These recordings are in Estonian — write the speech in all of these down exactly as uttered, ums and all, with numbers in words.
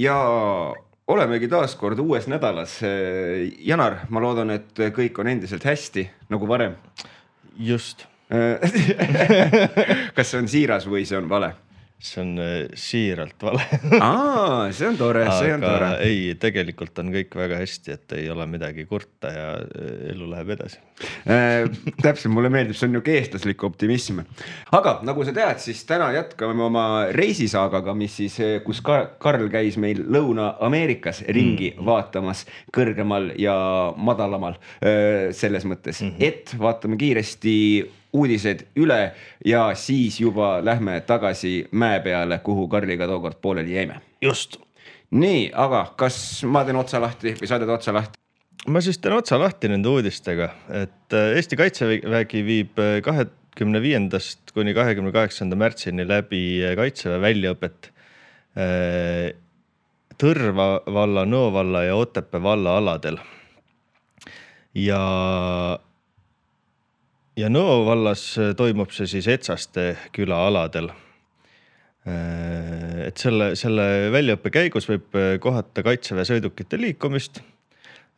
ja olemegi taas kord uues nädalas. Janar, ma loodan, et kõik on endiselt hästi, nagu varem. Just. Kas see on siiras või see on vale? See on siiralt vale. Aa, see on tore, see on tore. Aga ei, tegelikult on kõik väga hästi, et ei ole midagi kurta ja elu läheb edasi. Täpselt, mulle meeldib, see on niuke eestlaslik optimism. Aga nagu sa tead, siis täna jätkame oma reisisaagaga, mis siis, kus Karl käis meil Lõuna-Ameerikas ringi mm. vaatamas kõrgemal ja madalamal selles mõttes, mm-hmm. et vaatame kiiresti uudised üle ja siis juba lähme tagasi mäe peale, kuhu Karliga tookord pooleli jäime. Just. Nii, aga kas ma teen otsa lahti või sa teed otsa lahti? Ma siis teen otsa lahti nende uudistega, et Eesti Kaitsevägi viib kahekümne viiendast kuni kahekümne kaheksanda märtsini läbi Kaitseväe väljaõpet Tõrva valla, Nõo valla ja Otepää valla aladel. Ja Ja Nõo vallas toimub see siis Etsaste küla aladel. Et selle, selle väljaõppe käigus võib kohata Kaitseväe sõidukite liikumist,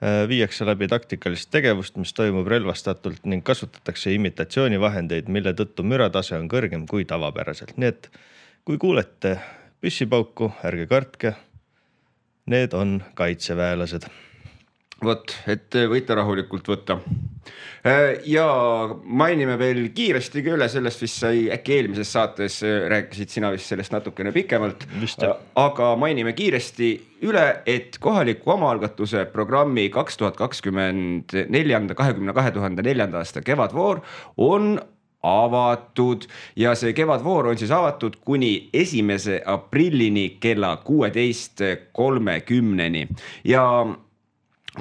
viiakse läbi taktikalist tegevust, mis toimub relvastatult ning kasutatakse imitatsioonivahendeid, mille tõttu müratase on kõrgem kui tavapäraselt. Nii et kui kuulete püssipauku, ärge kartke, need on kaitseväelased. Vot, et võite rahulikult võtta. Ja mainime veel kiiresti üle sellest, mis sai äkki eelmises saates, rääkisid sina vist sellest natukene pikemalt, Vist, aga mainime kiiresti üle, et kohaliku omaalgatuse programmi kaks tuhat kakskümmend neli kahekümne kahe tuhande neljanda aasta kevadvoor on avatud ja see kevadvoor on siis avatud kuni esimese aprillini kella kuueteist kolmekümneni ja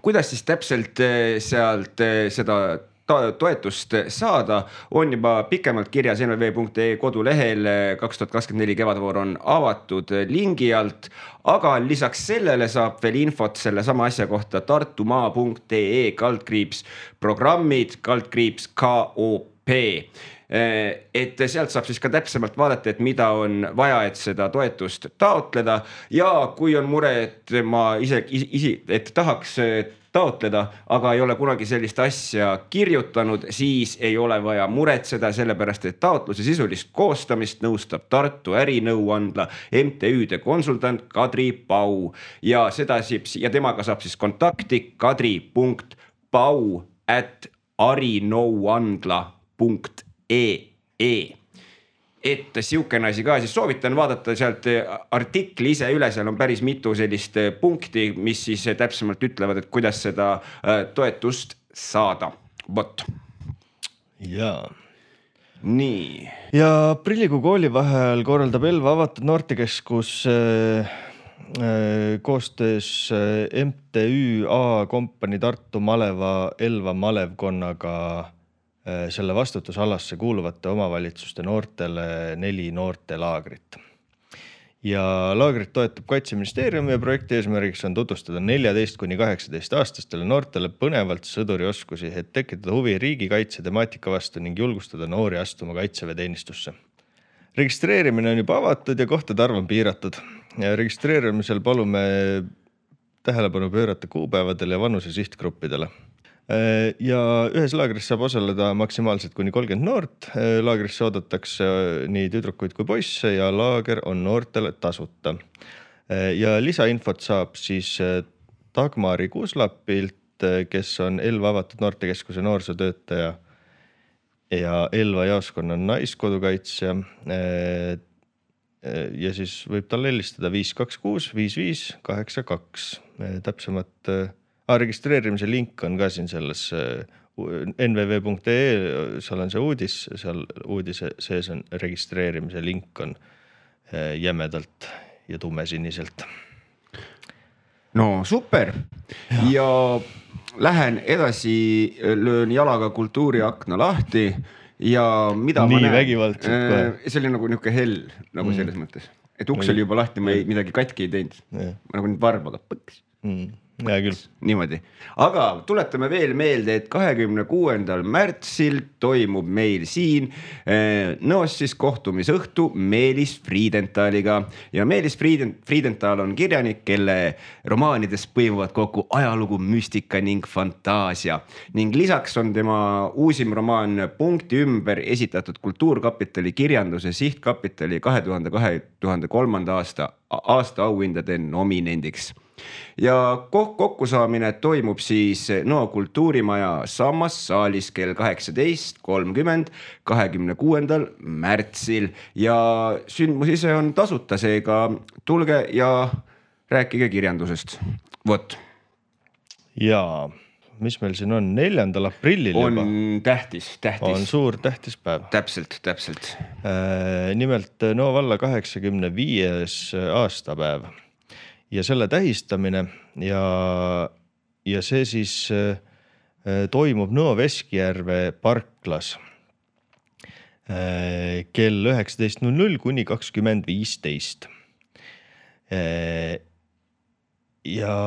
kuidas siis täpselt sealt seda toetust saada, on juba pikemalt kirjas n v v punkt e kodulehel kaks tuhat kakskümmend neli kevadvoor on avatud lingi alt, aga lisaks sellele saab veel infot selle sama asja kohta tartumaa punkt ee kaldkriips programmid kaldkriips K O P. Et sealt saab siis ka täpsemalt vaadata, et mida on vaja, et seda toetust taotleda ja kui on mure, et ma ise, ise et tahaks taotleda, aga ei ole kunagi sellist asja kirjutanud, siis ei ole vaja muretseda, sellepärast et taotluse sisulist koostamist nõustab Tartu ärinõuandla M T Üde konsultant Kadri Pau ja, seda siis, ja temaga saab siis kontakti kadri punkt pau at arinõuandla punkt ee. Et siukene asi ka, siis soovitan vaadata sealt artikli ise üle, seal on päris mitu sellist punkti, mis siis täpsemalt ütlevad, et kuidas seda toetust saada. Vot. Jaa. Nii. Ja aprillikuu koolivaheajal korraldab Elva avatud noortekeskus koostöös M T Ü A kompanii Tartu Maleva Elva malevkonnaga selle vastutusalasse kuuluvate omavalitsuste noortele neli noortelaagrit. Ja laagrit toetab Kaitseministeerium ja projekti eesmärgiks on tutvustada neljateist kuni kaheksateist aastastele noortele põnevalt sõdurioskusi, et tekitada huvi riigikaitse temaatika vastu ning julgustada noori astuma kaitseväeteenistusse. Registreerimine on juba avatud ja kohtade arv on piiratud. Ja registreerimisel palume tähelepanu pöörata kuupäevadele ja vanuse sihtgruppidele. Ja ühes laagris saab osaleda maksimaalselt kuni kolmkümmend noort. Laagrisse oodatakse nii tüdrukuid kui poisse ja laager on noortele tasuta. Ja lisainfot saab siis Dagmari Kuuslapilt, kes on Elva avatud noortekeskuse noorsootöötaja ja Elva jaoskonna naiskodukaitsja. Ja siis võib tal helistada viis kaks kuus viis viis kaheksa kaks. Täpsemat registreerimise link on ka siin selles n v v punkt ee, seal on see uudis, seal uudise sees on registreerimise link on jämedalt ja tumesiniselt. No super. Ja, ja lähen edasi, löön jalaga kultuuriakna lahti ja mida Nii ma näen. vägivaldselt. See oli nagu niuke hell, nagu selles mõttes. Et uks oli juba lahti, ma ei, midagi katki ei teinud. Ma nagu nüüd varbaga põks. Mm. Hea küll. Niimoodi, aga tuletame veel meelde, et kahekümne kuuendal märtsil toimub meil siin Nõos siis kohtumisõhtu Meelis Friedentaliga ja Meelis Friedenthal on kirjanik, kelle romaanides põimuvad kokku ajalugu, müstika ning fantaasia ning lisaks on tema uusim romaan Punkti ümber esitatud Kultuurkapitali kirjanduse sihtkapitali kahe tuhande kolmanda aasta aasta auhindade nominendiks. Ja kokkusaamine toimub siis Nõo kultuurimaja Sammas saalis kell kaheksateist kolmkümmend kahekümne kuuendal märtsil ja sündmus ise on tasuta, seega tulge ja rääkige kirjandusest. Vot. Jaa, mis meil siin on? neljandal aprillil on juba. On tähtis, tähtis. On suur tähtis päev. Täpselt, täpselt. Äh, nimelt Nõo valla kaheksakümne viies aastapäev. Ja selle tähistamine ja, ja see siis äh, toimub Nõo Veskjärve parklas äh, kell üheksateist null null kuni kakskümmend viisteist. Äh, ja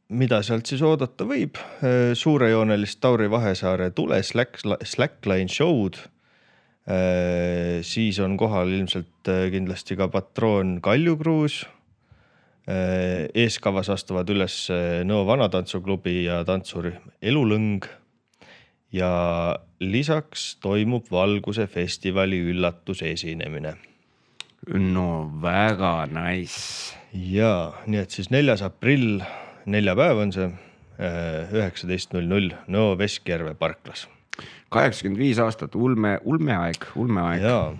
mida sealt siis oodata võib? Äh, suurejoonelist Tauri Vahesaare tule slack, slackline show'd. Äh, siis on kohal ilmselt kindlasti ka patroon Kaljukruus. Eeskavas astuvad üles Nõo Vanatantsuklubi ja tantsurühm Elulõng ja lisaks toimub Valguse festivali üllatusesinemine. No väga nice. Ja, nii et siis neljas aprill, neljapäev on see, üheksateist null null Nõo Veskjärve parklas. kaheksakümmend viis aastat, ulme, ulmeaeg, ulmeaeg. Jaa.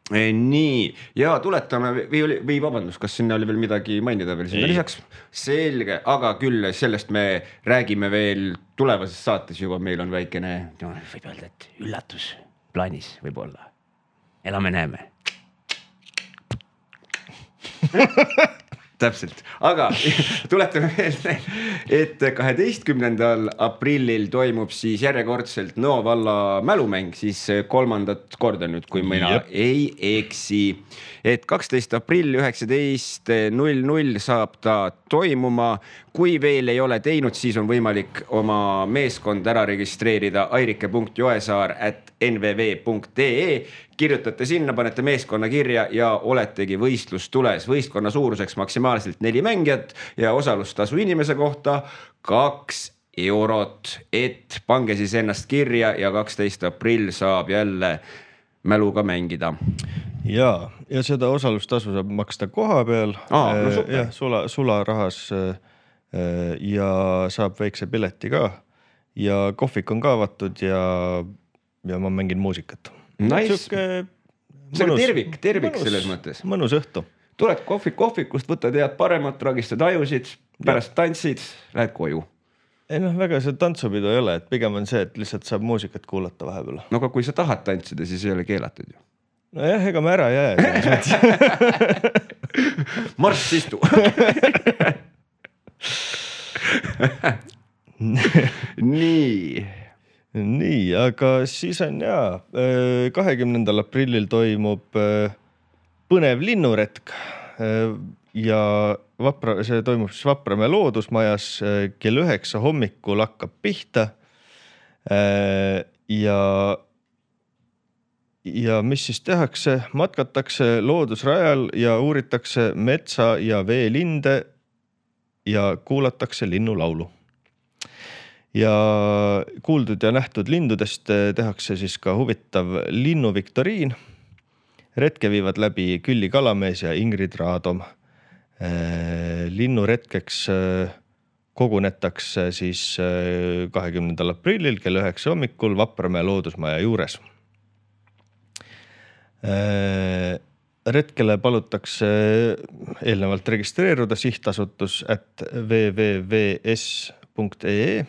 Nii, ja tuletame või, või vabandus, kas sinna oli veel midagi mainida veel sinna Ei. lisaks? Selge, aga küll sellest me räägime veel tulevases saates juba, meil on väikene, no, võib öelda, et üllatus plaanis võib olla. Elame näeme. Täpselt, aga tuletame veel, et kaheteistkümnendal aprillil toimub siis järjekordselt Nõo valla mälumäng, siis kolmandat korda nüüd, kui mina Jep. ei eksi. Et kaksteist aprill üheksateist null null saab ta toimuma. Kui veel ei ole teinud, siis on võimalik oma meeskond ära registreerida airike punkt joesaar at n v v punkt d e. Kirjutate sinna, panete meeskonna kirja ja oletegi võistlus tules. Võistkonna suuruseks maksimaalselt neli mängijat ja osalustasu inimese kohta kaks eurot. Et pange siis ennast kirja ja kaksteist aprill saab jälle mäluga mängida. Ja, ja seda osalustasu saab maksta koha peal. Aa, no super. Ja, sula, sula rahas ja saab väikse pileti ka ja kohvik on ka avatud ja, ja ma mängin muusikat. Nice. See on tervik, tervik mõnus, selles mõttes. Mõnus õhtu. Tuled kohvik, kohvikust, võtad head paremat, ragistad ajusid, pärast tantsid, lähed koju. Ei noh, väga see tantsupidu ei ole, et pigem on see, et lihtsalt saab muusikat kuulata vahepeal. No aga kui sa tahad tantsida, siis ei ole keelatud ju. No jah, ega ma ära jää. Marss istu. Nii. Nii, aga siis on jaa, kahekümnendal aprillil toimub põnev linnuretk ja Vapra, see toimub siis Vapramäe loodusmajas kell üheksa hommikul hakkab pihta ja ja mis siis tehakse? Matkatakse loodusrajal ja uuritakse metsa ja veelinde ja kuulatakse linnulaulu. Ja kuuldud ja nähtud lindudest tehakse siis ka huvitav linnuviktoriin. Retke viivad läbi Külli Kalamees ja Ingrid Raadom. Linnuretkeks kogunetakse siis kahekümnendal aprillil kell üheksa hommikul Vapramäe loodusmaja juures. Retkele palutakse eelnevalt registreeruda sihtasutus at w w w punkt s punkt e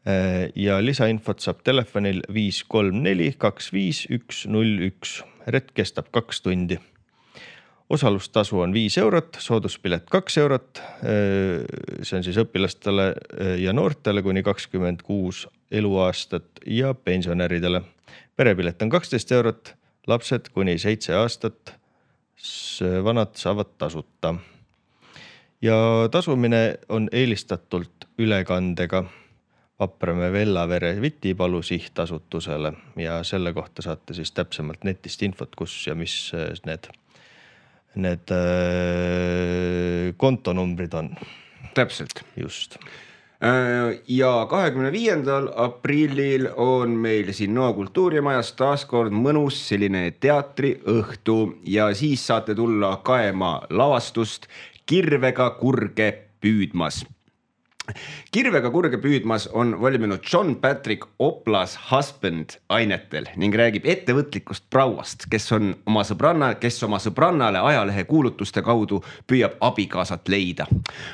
e ja lisainfot saab telefonil viis kolm neli kaks viis üks null üks. Retk kestab kaks tundi. Osalustasu on viis eurot, sooduspilet kaks eurot. See on siis õpilastele ja noortele kuni kakskümmend kuus eluaastat ja pensionäridele. Perepilet on kaksteist eurot. Lapsed kuni seitse aastat vanad saavad tasuta. ja tasumine on eelistatult ülekandega Vapramäe Vellavere Vitipalu sihtasutusele ja selle kohta saate siis täpsemalt netist infot, kus ja mis need, need kontonumbrid on. Täpselt. Just. Ja kahekümne viiendal aprillil on meil siin Nõo kultuurimajas taaskord mõnus selline teatriõhtu ja siis saate tulla kaema lavastust Kirvega kurge püüdmas. Kirvega kurge püüdmas on valminud John Patrick Oplas Husband ainetel ning räägib ettevõtlikust prauast, kes on oma sõbranna, kes oma sõbrannale ajalehe kuulutuste kaudu püüab abikaasat leida.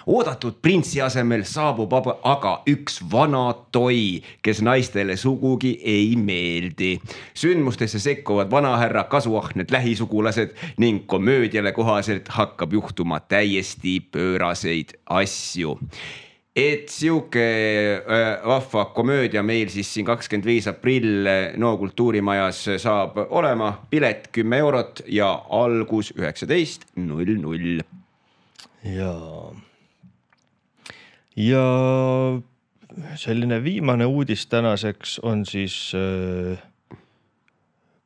Oodatud printsi asemel saabub aga üks vana toi, kes naistele sugugi ei meeldi. Sündmustesse sekkuvad vanahärra kasuahned lähisugulased ning komöödiale kohaselt hakkab juhtuma täiesti pööraseid asju. Et siuke vahva komöödia meil siis siin kakskümmend viis aprill Nõo kultuurimajas saab olema. Pilet kümme eurot ja algus üheksateist null null. Ja, ja selline viimane uudis tänaseks on siis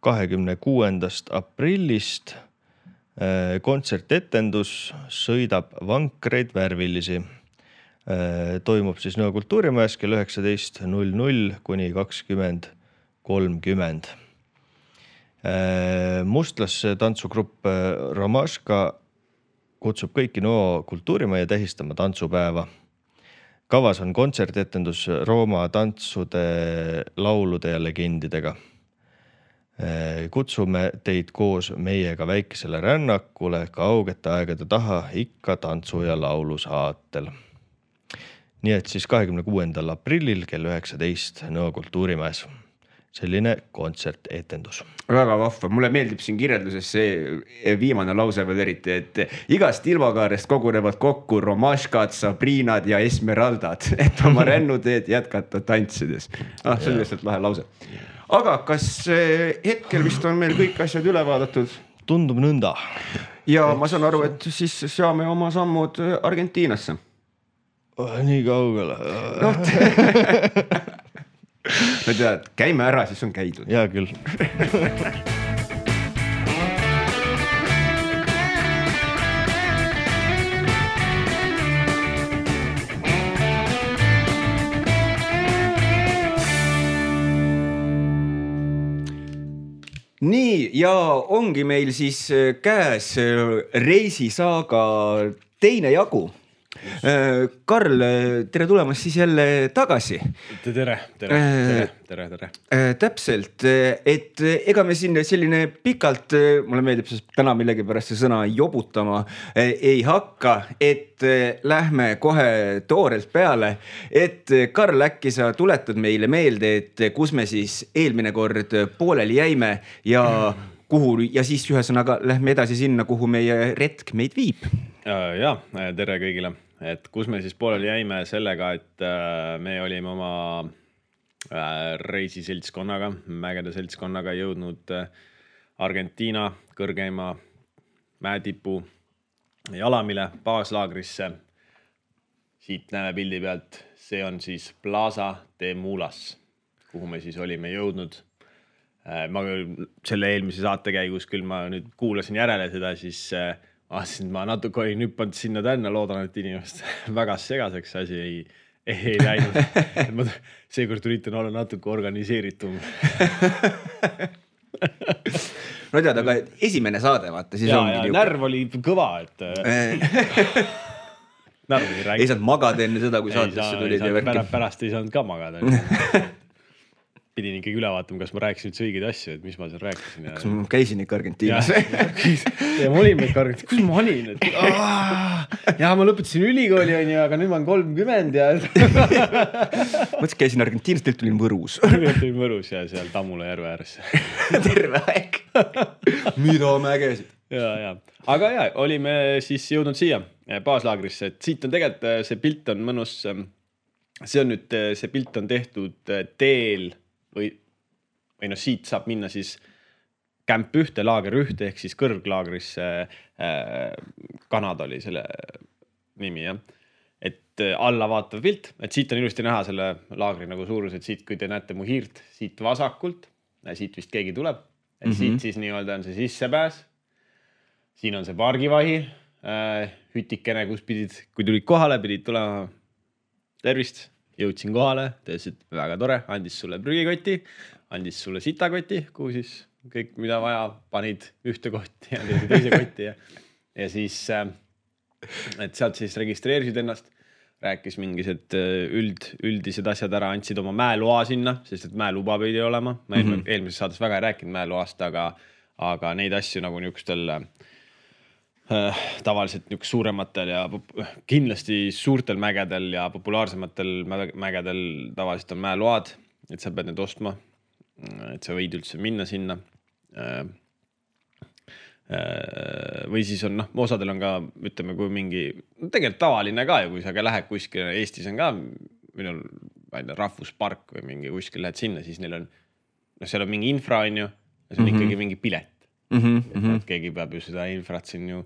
kahekümne kuuendast aprillist kontsertetendus Sõidab vankreid värvilisi. Toimub siis Nõo kultuurimajas kell üheksateist null null kuni kakskümmend kolmkümmend. Mustlasse tantsugrupp Romaška kutsub kõiki Nõo kultuurimaja tähistama tantsupäeva. Kavas on kontsertetendus Rooma tantsude, laulude ja legendidega. Kutsume teid koos meiega väikesele rännakule kaugete aegade taha ikka tantsu ja laulu saatel. Nii et siis kahekümne kuuendal aprillil kell üheksateist Nõo kultuurimajas. Selline kontsertetendus. Väga vahva. Mulle meeldib siin kirjelduses see viimane lause veel eriti, et igast ilmakaarest kogunevad kokku Romaškad, Sabrinad ja Esmeraldad, et oma rännuteed jätkata tantsides. Ah, see on lihtsalt lahe lause. Aga kas hetkel vist on meil kõik asjad üle vaadatud? Tundub nõnda. Ja ma saan aru, et siis saame oma sammud Argentiinasse. Nii kaugele. No, no tead, käime ära, siis on käidud. Jaa küll. Nii, ja ongi meil siis käes reisisaaga teine jagu. Karl, tere tulemast siis jälle tagasi. Tere, tere, tere, tere, tere. Täpselt, et ega me siin selline pikalt, mulle meeldib siis täna millegi pärast see sõna jobutama ei hakka, et lähme kohe toorelt peale. Et Karl, äkki sa tuletad meile meelde, et kus me siis eelmine kord pooleli jäime ja kuhu, ja siis ühesõnaga lähme edasi sinna, kuhu meie retk meid viib. Ja, tere kõigile. Et kus me siis pooleli jäime sellega, et me olime oma reisiseltskonnaga, mägede seltskonnaga jõudnud Argentiina kõrgeima mäetipu Jalamile baaslaagrisse. Siit näeme pildi pealt, see on siis Plaza de Mulas, kuhu me siis olime jõudnud. Ma selle eelmise saate käigus küll ma nüüd kuulasin järele seda, siis Aastasin, ma natuke olin hüppanud sinna tänna, loodan, et inimest väga segaseks asi ei, ei läinud. Ma seekord üritan olla natuke organiseeritum. No tead, aga esimene saade, vaata, siis ja, ongi ja niuke. Närv oli kõva, et närv oli rääk. Ei saanud magada enne seda, kui saatesse ei tulid. saanud, pärast, pärast ei saanud ka magada. Pidin ikkagi üle vaatama, kas ma rääkisin üldse õigeid asju, et mis ma seal rääkisin. Kas ma käisin ikka Argentiinas? Ja, ja ma olin ikka Argentiinas. Kus ma olin? Et, ja ma lõpetasin ülikooli, aga nüüd ma olen kolmkümmend. Ja... Mõtlesin, käisin Argentiinas, teilt tulin Võrus. Tulin Võrus ja seal Tammula järve ääres. Terve aeg. Mida mägesid? Ja, ja. Aga ja, olime siis jõudnud siia baaslaagrisse. Et siit on tegelikult, see pilt on mõnus, see on nüüd, see pilt on tehtud teel või, või no siit saab minna siis kämp ühte, laager ühte ehk siis kõrglaagrisse. Kanada oli selle nimi jah. Et alla vaatav pilt, et siit on ilusti näha selle laagri nagu suurus, et siit, kui te näete mu hiirt siit vasakult, siit vist keegi tuleb, et mm -hmm. siit siis nii-öelda on see sissepääs. Siin on see pargivahi, äh, hütikene, kus pidid, kui tulid kohale, pidid tulema tervist, jõudsin kohale, tõesid väga tore, andis sulle prügikoti, andis sulle sitakoti, kuhu siis kõik, mida vaja, panid ühte kotti ja teise kotti ja, ja siis, äh, et sealt siis registreerisid ennast, rääkis mingised üld, üldised asjad ära, andsid oma mäeloa sinna, sest et mäeluba pidi olema. Ma mm -hmm. eelmises saates väga ei rääkinud mäeloast, aga, aga neid asju nagu niisugustel äh, tavaliselt niisugustel suurematel ja kindlasti suurtel mägedel ja populaarsematel mägedel tavaliselt on mäeload, et sa pead need ostma, et sa võid üldse minna sinna. Äh, või siis on, noh, osadel on ka, ütleme, kui mingi, tegelikult tavaline ka ju, kui sa ka lähed kuskil, Eestis on ka minul, ma ei tea, rahvuspark või mingi kuskil lähed sinna, siis neil on, noh, seal on mingi infra on ju, ja see on mm -hmm. ikkagi mingi pilet. Mm -hmm. Et keegi peab ju seda infrat siin ju,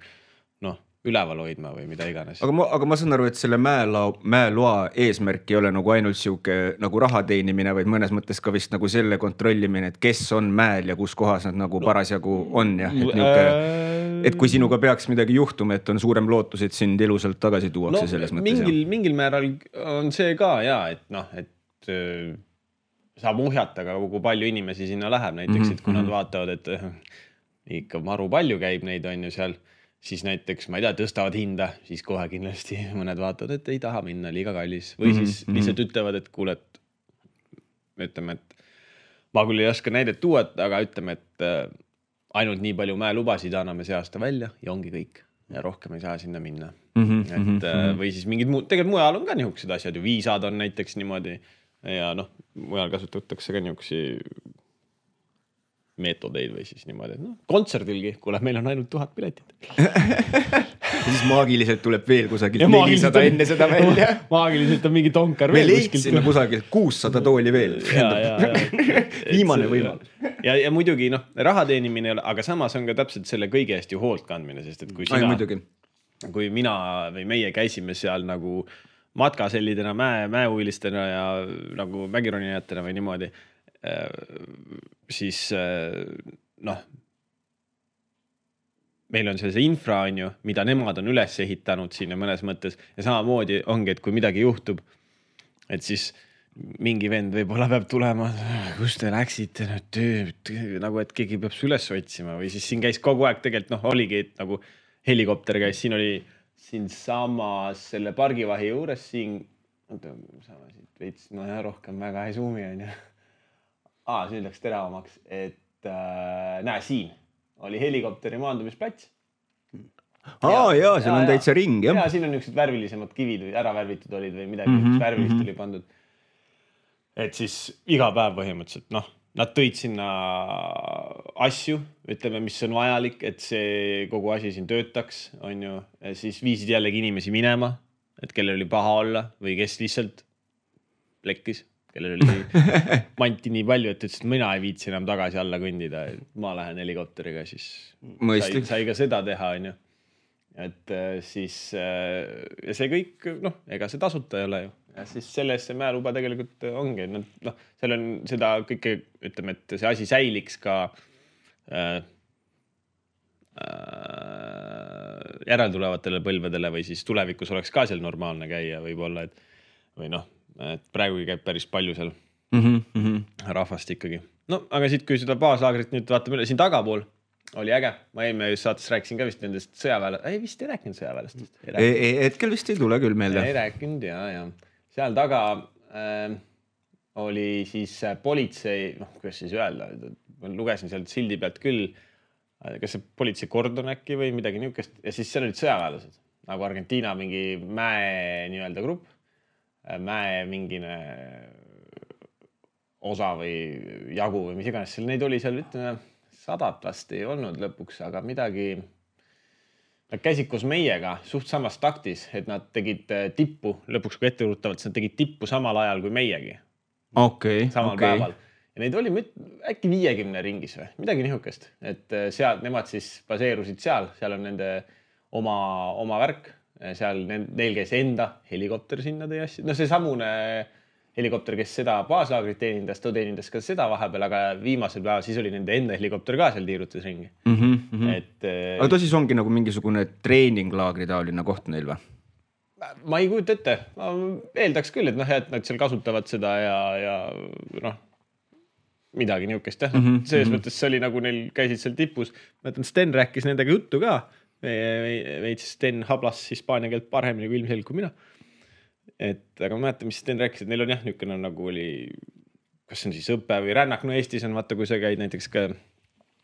noh, üleval hoidma või mida iganes. Aga ma, aga ma saan aru, et selle mäeloa, mäeloa eesmärk ei ole nagu ainult siuke nagu raha teenimine, vaid mõnes mõttes ka vist nagu selle kontrollimine, et kes on mäel ja kus kohas nad nagu parasjagu on ja et, niuke, et kui sinuga peaks midagi juhtuma, et on suurem lootus, et sind ilusalt tagasi tuuakse no, selles mõttes. Mingil, mingil määral on see ka ja, et noh, et äh, saab uhjata ka, kui palju inimesi sinna läheb näiteks, mm -hmm. et kui nad vaatavad, et äh, ikka maru palju käib neid on ju seal, siis näiteks, ma ei tea, tõstavad hinda, siis kohe kindlasti mõned vaatavad, et ei taha minna, liiga kallis. Või siis mm-hmm. lihtsalt ütlevad, et kuule, et ütleme, et ma küll ei oska näidet tuua, aga ütleme, et äh, ainult nii palju mäelubasid anname see aasta välja ja ongi kõik. Ja rohkem ei saa sinna minna. Mm-hmm. Et, äh, või siis mingid muud, tegelikult mujal on ka niisugused asjad ju, viisad on näiteks niimoodi ja noh, mujal kasutatakse ka niisugusi meetodeid või siis niimoodi, et noh, kontserdilgi, kuule, meil on ainult tuhat piletit. Siis maagiliselt tuleb veel kusagilt nelisada enne seda välja. Maagiliselt on mingi tonkar veel kuskilt. Me leidsime kusagilt kuussada tooli veel. Ja, ja, ja. Viimane võimalus. Ja, ja muidugi, noh, raha teenimine ei ole, aga samas on ka täpselt selle kõige hästi hoolt kandmine, sest et kui sina, Ai, kui mina või meie käisime seal nagu matkasellidena, mäe, mäeuilistena ja nagu mägironijatena või niimoodi, siis noh, meil on see infra on ju, mida nemad on üles ehitanud siin mõnes mõttes ja samamoodi ongi, et kui midagi juhtub, et siis mingi vend võib-olla peab tulema, kus te läksite nüüd töö, nagu et keegi peab su üles otsima või siis siin käis kogu aeg tegelikult, noh, oligi, et nagu helikopter käis, siin oli siin samas selle pargivahi juures siin, sama siit veits, no ja rohkem väga ei suumi on ju. Aa, see läks teravamaks, et äh, näe, siin oli helikopteri maandumisplats. Aa, jaa, seal on täitsa ring, jah. Ja siin on niisugused värvilisemad kivid või ära värvitud olid või midagi, mm -hmm. värvilist oli pandud. Et siis iga päev põhimõtteliselt, noh, nad tõid sinna asju, ütleme, mis on vajalik, et see kogu asi siin töötaks, on ju, ja siis viisid jällegi inimesi minema, et kellel oli paha olla või kes lihtsalt plekkis. Kellel oli manti nii palju, et ütles, et mina ei viitsi enam tagasi alla kõndida, et ma lähen helikopteriga, siis sai, sai ka seda teha, on ju. Et siis, ja see kõik, noh, ega see tasuta ei ole ju. Ja siis selles see mäeluba tegelikult ongi, noh, seal on seda kõike, ütleme, et see asi säiliks ka äh, äh, järeltulevatele põlvedele või siis tulevikus oleks ka seal normaalne käia võib-olla, et või noh, et praegu käib päris palju seal mm -hmm. rahvast ikkagi. No, aga siit, kui seda baaslaagrit nüüd vaatame üle, siin tagapool oli äge. Ma eelmine saates rääkisin ka vist nendest sõjaväele. Ei, vist ei rääkinud sõjaväelastest. Ei, ei, hetkel vist ei tule küll meelde. Ei rääkinud, ja, ja. Seal taga äh, oli siis politsei, noh, kuidas siis öelda, ma lugesin sealt sildi pealt küll, kas see politsei kordon äkki või midagi niukest, ja siis seal olid sõjaväelased, nagu Argentiina mingi mäe nii-öelda grupp, mäe mingine osa või jagu või mis iganes seal neid oli seal, ütleme, sadat vast ei olnud lõpuks, aga midagi, nad käisid koos meiega suht samas taktis, et nad tegid tippu, lõpuks kui etteruutavalt, nad tegid tippu samal ajal kui meiegi. Okay, samal okay. päeval. Ja neid oli äkki viiekümne ringis või, midagi nihukest, et seal, nemad siis baseerusid seal, seal on nende oma, oma värk, seal neil käis enda helikopter sinna tõi asju. No see samune helikopter, kes seda baaslaagrit teenindas, ta teenindas ka seda vahepeal, aga viimasel päeval siis oli nende enda helikopter ka seal tiirutas ringi. Mm -hmm. Et, aga ta siis ongi nagu mingisugune treeninglaagri taoline koht neil või? Ma ei kujuta ette. Ma eeldaks küll, et noh, et nad seal kasutavad seda ja, ja noh, midagi niukest. Mm -hmm. Selles mõttes see oli nagu neil käisid seal tipus. Ma ütlen, Sten rääkis nendega juttu ka. Veits Sten hablas hispaania keelt paremini kui ilmselg kui mina. Et, aga ma mäletan, mis Sten rääkis, et neil on jah, niukene nagu oli, kas see on siis õppe või rännak. No Eestis on vaata, kui sa käid näiteks ka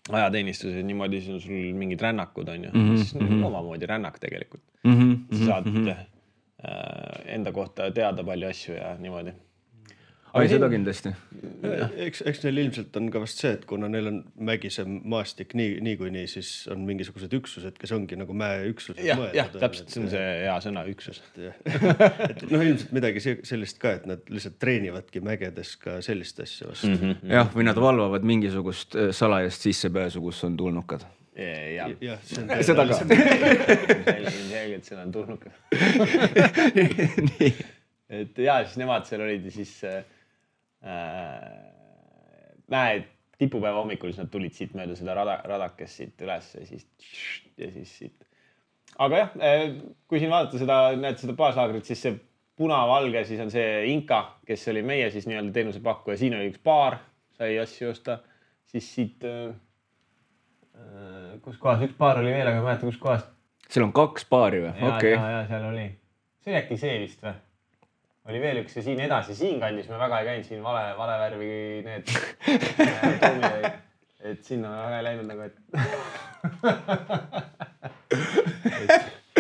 ajateenistuses niimoodi, siis on sul mingid rännakud on ju. Mm -hmm. Siis on omamoodi rännak tegelikult. Mm -hmm. Sa saad mm -hmm. enda kohta teada palju asju ja niimoodi. Ai, seda kindlasti. Eks, eks neil ilmselt on ka vast see, et kuna neil on mägisem maastik nii, nii kui nii, siis on mingisugused üksused, kes ongi nagu mäeüksused. Jah, jah, täpselt, see on see hea sõna, üksus. Et noh, ilmselt midagi sellist ka, et nad lihtsalt treenivadki mägedes ka sellist asja vastu. Mm -hmm. Jah, või nad valvavad mingisugust salajast sissepääsu, kus on tulnukad. Ja, ja see on seda ka. Selgelt seda on tulnukad. Et ja, siis nemad seal olid ja siis äh, mäe tipupäeva hommikul, siis nad tulid siit mööda seda rada, radakest siit üles ja siis, ja siis siit. Aga jah, kui siin vaadata seda, näed seda baaslaagrit, siis see punavalge, siis on see Inka, kes oli meie siis nii-öelda teenusepakkuja. Siin oli üks baar, sai asju osta. Siis siit, äh, kus kohas, üks baar oli veel, aga mäletan, kus kohas. Seal on kaks baari või? Ja, okay. ja, ja seal oli. See oli äkki see vist või? Oli veel üks ja siin edasi, siin kandis me väga ei käinud, siin vale, vale värvi need tuumid, et sinna väga ei läinud nagu, et...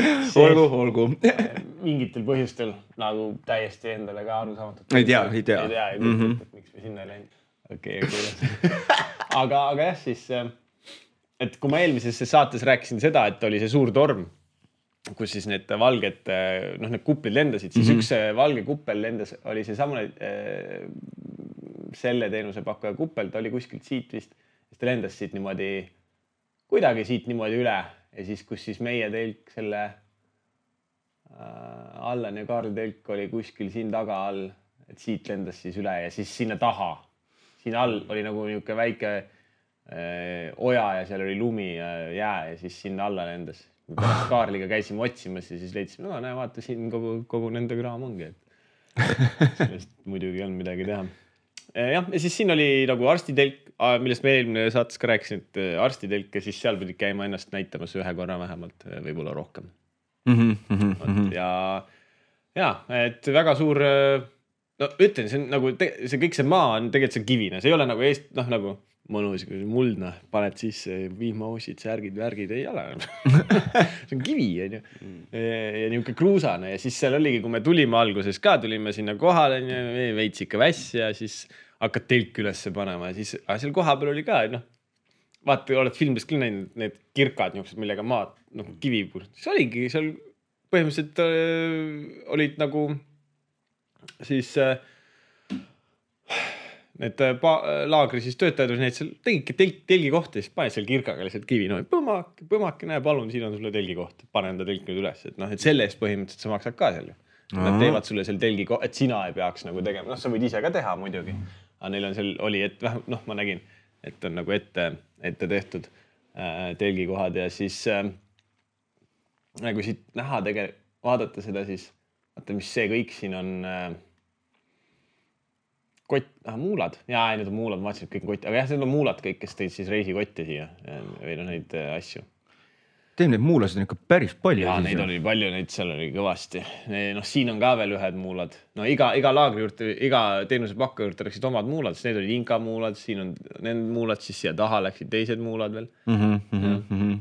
et olgu, olgu. Mingitel põhjustel nagu täiesti endale ka aru saamatud. Ei tea, ei tea. Ei tea, ei kujuta, mm -hmm. et miks me sinna ei läinud. Okei, okay, aga, aga jah, siis, et kui ma eelmises saates rääkisin seda, et oli see suur torm, kus siis need valged, noh, need kuppid lendasid, siis mm -hmm. üks valge kuppel lendas, oli see samune äh, selle teenusepakkuja kuppel, ta oli kuskilt siit vist, siis ta lendas siit niimoodi, kuidagi siit niimoodi üle ja siis, kus siis meie telk selle äh, Allan ja Kaarli telk oli kuskil siin taga all, et siit lendas siis üle ja siis sinna taha, siin all oli nagu niisugune väike äh, oja ja seal oli lumi ja jää ja siis sinna alla lendas. Pärast Kaarliga käisime otsimas ja siis leidsime, no näe, vaata siin kogu, kogu nende kraam ongi, et sellest muidugi on midagi teha. Jah, ja siis siin oli nagu arstitelk, millest me eelmine saates ka rääkisin, et arstitelk ja siis seal pidid käima ennast näitamas ühe korra vähemalt, võib-olla rohkem. Mm -hmm. Ja, ja, et väga suur, no ütlen, see on nagu, see kõik see maa on tegelikult see kivine, see ei ole nagu eest, noh nagu mõnus, muldna, paned sisse vihmausid, särgid, värgid, ei ole. See on kivi, on ju. Ja niisugune kruusane ja siis seal oligi, kui me tulime alguses ka, tulime sinna kohale, veits ikka väss ja siis hakkad telk ülesse panema ja siis, aga seal koha peal oli ka, noh, vaata, oled filmidest küll näinud need kirkad, millega maad, noh, kivi, siis oligi seal põhimõtteliselt äh, olid nagu siis äh, need laagri siis töötajad olid, seal tegidki telg, telgi kohta, siis paned seal kirkaga lihtsalt kivi, no põmak, põmak, näe, palun, siin on sulle telgi koht, pane enda telk nüüd üles, et noh, et selle eest põhimõtteliselt sa maksad ka seal. Nad teevad sulle seal telgi koht, et sina ei peaks nagu tegema, noh, sa võid ise ka teha muidugi, aga neil on seal, oli, et vähem, noh, ma nägin, et on nagu ette, ette tehtud äh, telgi kohad ja siis äh, nagu siit näha tegelikult, vaadata seda siis, vaata, mis see kõik siin on äh, kott, ah, muulad. Jaa, need on muulad, ma vaatasin, et kõik on kott. Aga jah, need on muulad kõik, kes tõid siis reisikotti siia või no neid asju. Teem neid muulasid on ikka päris palju. Jaa, neid oli palju, neid seal oli kõvasti. Noh, siin on ka veel ühed muulad. No iga, iga laagri juurde, iga teenusepakkuja juurde läksid omad muulad, siis need olid Inka muulad, siin on need muulad, siis siia taha läksid teised muulad veel. Mm-hmm, mm-hmm.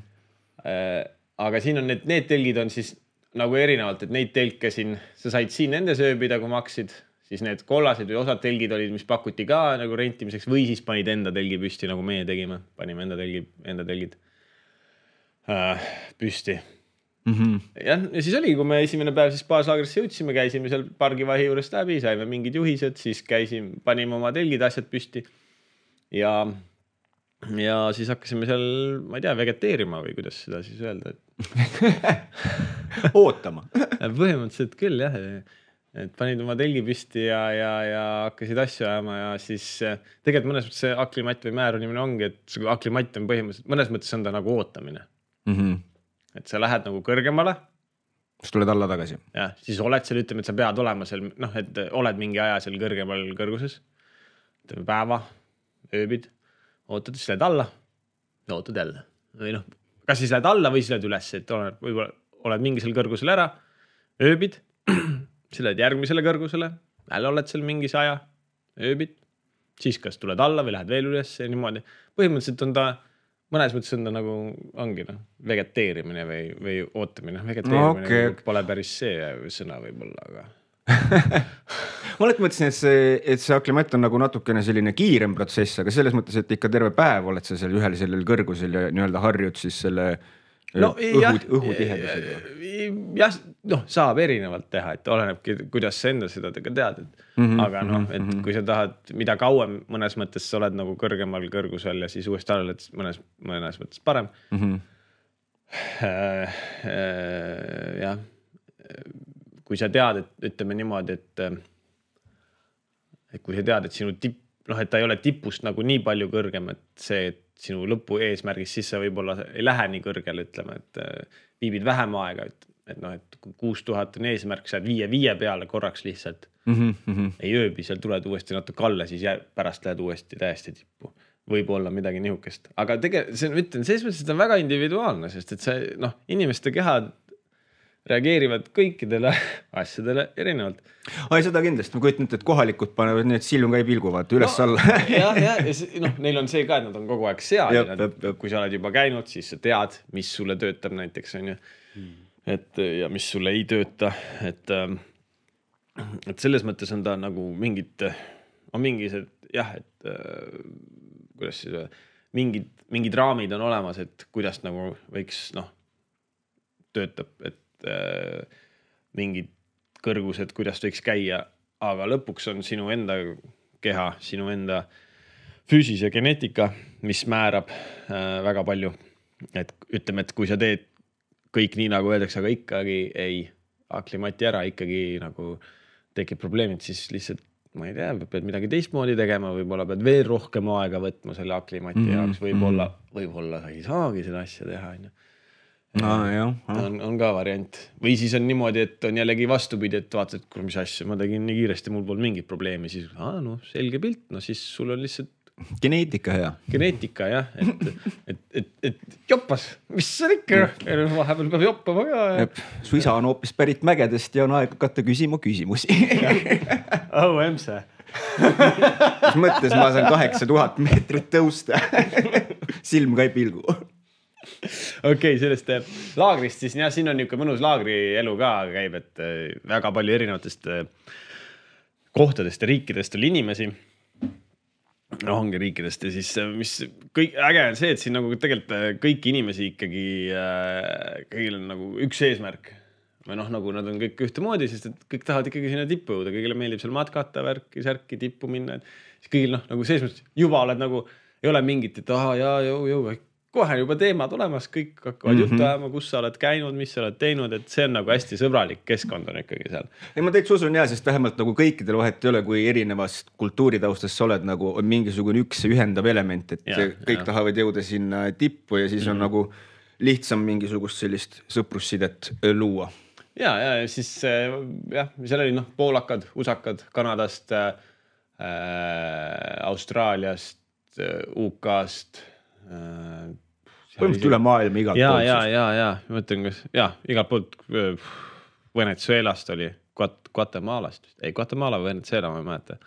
Aga siin on need, need telgid on siis nagu erinevalt, et neid telke siin, sa said siin nende sööbida, kui maksid, siis need kollased või osad telgid olid, mis pakuti ka nagu rentimiseks või siis panid enda telgi püsti, nagu meie tegime. Panime enda, telgi, enda telgid äh, püsti. Mm-hmm. Ja, ja siis oli, kui me esimene päev siis baaslaagrisse jõudsime, käisime seal pargivahi juurest läbi, saime mingid juhised, siis käisime, panime oma telgid asjad püsti. Ja, ja siis oli, kui me esimene päev siis baaslaagrisse jõudsime, käisime seal pargivahi juurest läbi, saime mingid juhised, siis käisime, panime oma telgid asjad püsti. Ja siis oli, kui me esimene päev siis baaslaagrisse jõudsime, käisime seal pargivahi juurest läbi, saime mingid juhised, siis käisime, panime oma telgid asjad püsti. Ja ja siis hakkasime seal, ma ei tea, vegeteerima või kuidas seda siis öelda, et ootama. Põhimõtteliselt küll jah, et panid oma telgi püsti ja, ja, ja hakkasid asju ajama ja siis tegelikult mõnes mõttes see aklimatt või määrunimine ongi, et see aklimatt on põhimõtteliselt, mõnes mõttes on ta nagu ootamine. Mm-hmm. Et sa lähed nagu kõrgemale. Siis tuled alla tagasi. Ja, siis oled seal, ütleme, et sa pead olema seal, noh, et oled mingi aja seal kõrgemal kõrguses. Ütleme päeva, ööbid, ootad, siis lähed alla ja ootad jälle. Või noh, kas siis lähed alla või siis lähed üles, et oled, võib-olla oled mingi seal kõrgusel ära, ööbid, siis lähed järgmisele kõrgusele, jälle oled seal mingis aja, ööbid, siis kas tuled alla või lähed veel üles ja niimoodi. Põhimõtteliselt on ta, mõnes mõttes on ta nagu, ongi noh, vegeteerimine või, või ootamine. Vegeteerimine okay. Pole päris see sõna võib-olla, aga... ma olen mõtlesin, et see, et see aklimatt on nagu natukene selline kiirem protsess, aga selles mõttes, et ikka terve päev oled sa seal ühel sellel kõrgusel ja nii-öelda harjud siis selle no, õhu, jah, õhutihedusega. Jah, noh, saab erinevalt teha, et olenebki, kuidas sa enda seda tead, et mm-hmm, aga noh, et mm-hmm. kui sa tahad, mida kauem mõnes mõttes sa oled nagu kõrgemal kõrgusel ja siis uuesti alla, et mõnes, mõnes mõttes parem. Mm-hmm. Äh, äh, jah. Kui sa tead, et ütleme niimoodi, et, et kui sa tead, et sinu tipp, noh, et ta ei ole tipust nagu nii palju kõrgem, et see, et sinu lõpu eesmärgis, siis sa võib-olla ei lähe nii kõrgele, ütleme, et viibid vähem aega, et, et noh, et kuus tuhat on eesmärk, sa viie viie peale korraks lihtsalt mm-hmm. ei ööbi, seal tuled uuesti natuke alla, siis jää, pärast lähed uuesti täiesti tippu. Võib-olla midagi nihukest. Aga tegelikult, see on, ütlen, selles mõttes, et on väga individuaalne, sest et see, noh, inimeste kehad reageerivad kõikidele asjadele erinevalt. Ai, seda kindlasti. Ma kujutan, et kohalikud panevad nii, et silm ka ei pilguvad üles no, alla. jah, jah, ja noh, neil on see ka, et nad on kogu aeg seal. Jab, nad, jab, jab. Kui sa oled juba käinud, siis sa tead, mis sulle töötab näiteks, on ju. Hmm. Et, ja mis sulle ei tööta. Et, et selles mõttes on ta nagu mingid, on mingised, jah, et kuidas siis mingid, mingid raamid on olemas, et kuidas nagu võiks, noh, töötab, et mingid kõrgused, kuidas võiks käia, aga lõpuks on sinu enda keha, sinu enda füüsis ja geneetika, mis määrab äh, väga palju. Et ütleme, et kui sa teed kõik nii, nagu öeldakse, aga ikkagi ei aklimati ära, ikkagi nagu tekib probleemid, siis lihtsalt, ma ei tea, pead midagi teistmoodi tegema, võib-olla pead veel rohkem aega võtma selle aklimati mm-hmm. jaoks, võib-olla, võib-olla sa ei saagi seda asja teha, on ju. No, jah, on, on ka variant. Või siis on niimoodi, et on jällegi vastupidi, et vaatad, et kuule, mis asja, ma tegin nii kiiresti, mul pole mingit probleemi, siis aa, no selge pilt, no siis sul on lihtsalt geneetika hea. Geneetika, jah, et, et, et, et joppas, mis see ikka, vahepeal peab joppama ka. Ja... Su isa on hoopis pärit mägedest ja on aeg hakata küsima küsimusi. Oh, emse. Mis mõttes ma saan kaheksa tuhat meetrit tõusta. Silm ka ei pilgu. Okei, okay, sellest laagrist siis, jah, siin on niisugune mõnus laagrielu ka käib, et väga palju erinevatest kohtadest ja riikidest oli inimesi. No ongi riikidest ja siis mis kõik äge on see, et siin nagu tegelikult kõiki inimesi ikkagi kõigil on nagu üks eesmärk. Või noh, nagu nad on kõik ühtemoodi, sest et kõik tahavad ikkagi sinna tippu jõuda, kõigile meeldib seal matkata, värki, särki, tippu minna. Siis kõigil noh, nagu sees mõttes juba oled nagu, ei ole mingit, et aha, jaa, jõu, jõu, kohe juba teemad olemas, kõik hakkavad mm-hmm. juttu ajama, kus sa oled käinud, mis sa oled teinud, et see on nagu hästi sõbralik keskkond on ikkagi seal. Ei, ma täitsa usun jah, sest vähemalt nagu kõikidel vahet ei ole, kui erinevast kultuuritaustast sa oled nagu on mingisugune üks ühendav element, et ja, kõik ja. Tahavad jõuda sinna tippu ja siis mm-hmm. on nagu lihtsam mingisugust sellist sõprussidet luua. Ja, ja siis jah, seal oli noh, poolakad, usakad, Kanadast, äh, Austraaliast, U K-st, põhimõtteliselt üle maailma igalt ja, poolt. Ja, ja, ja, ma mõtlen, kas, ja, igalt poolt Venezuelast oli, Guatemalast, ei, Guatemala või Venezuela, ma ei mäleta.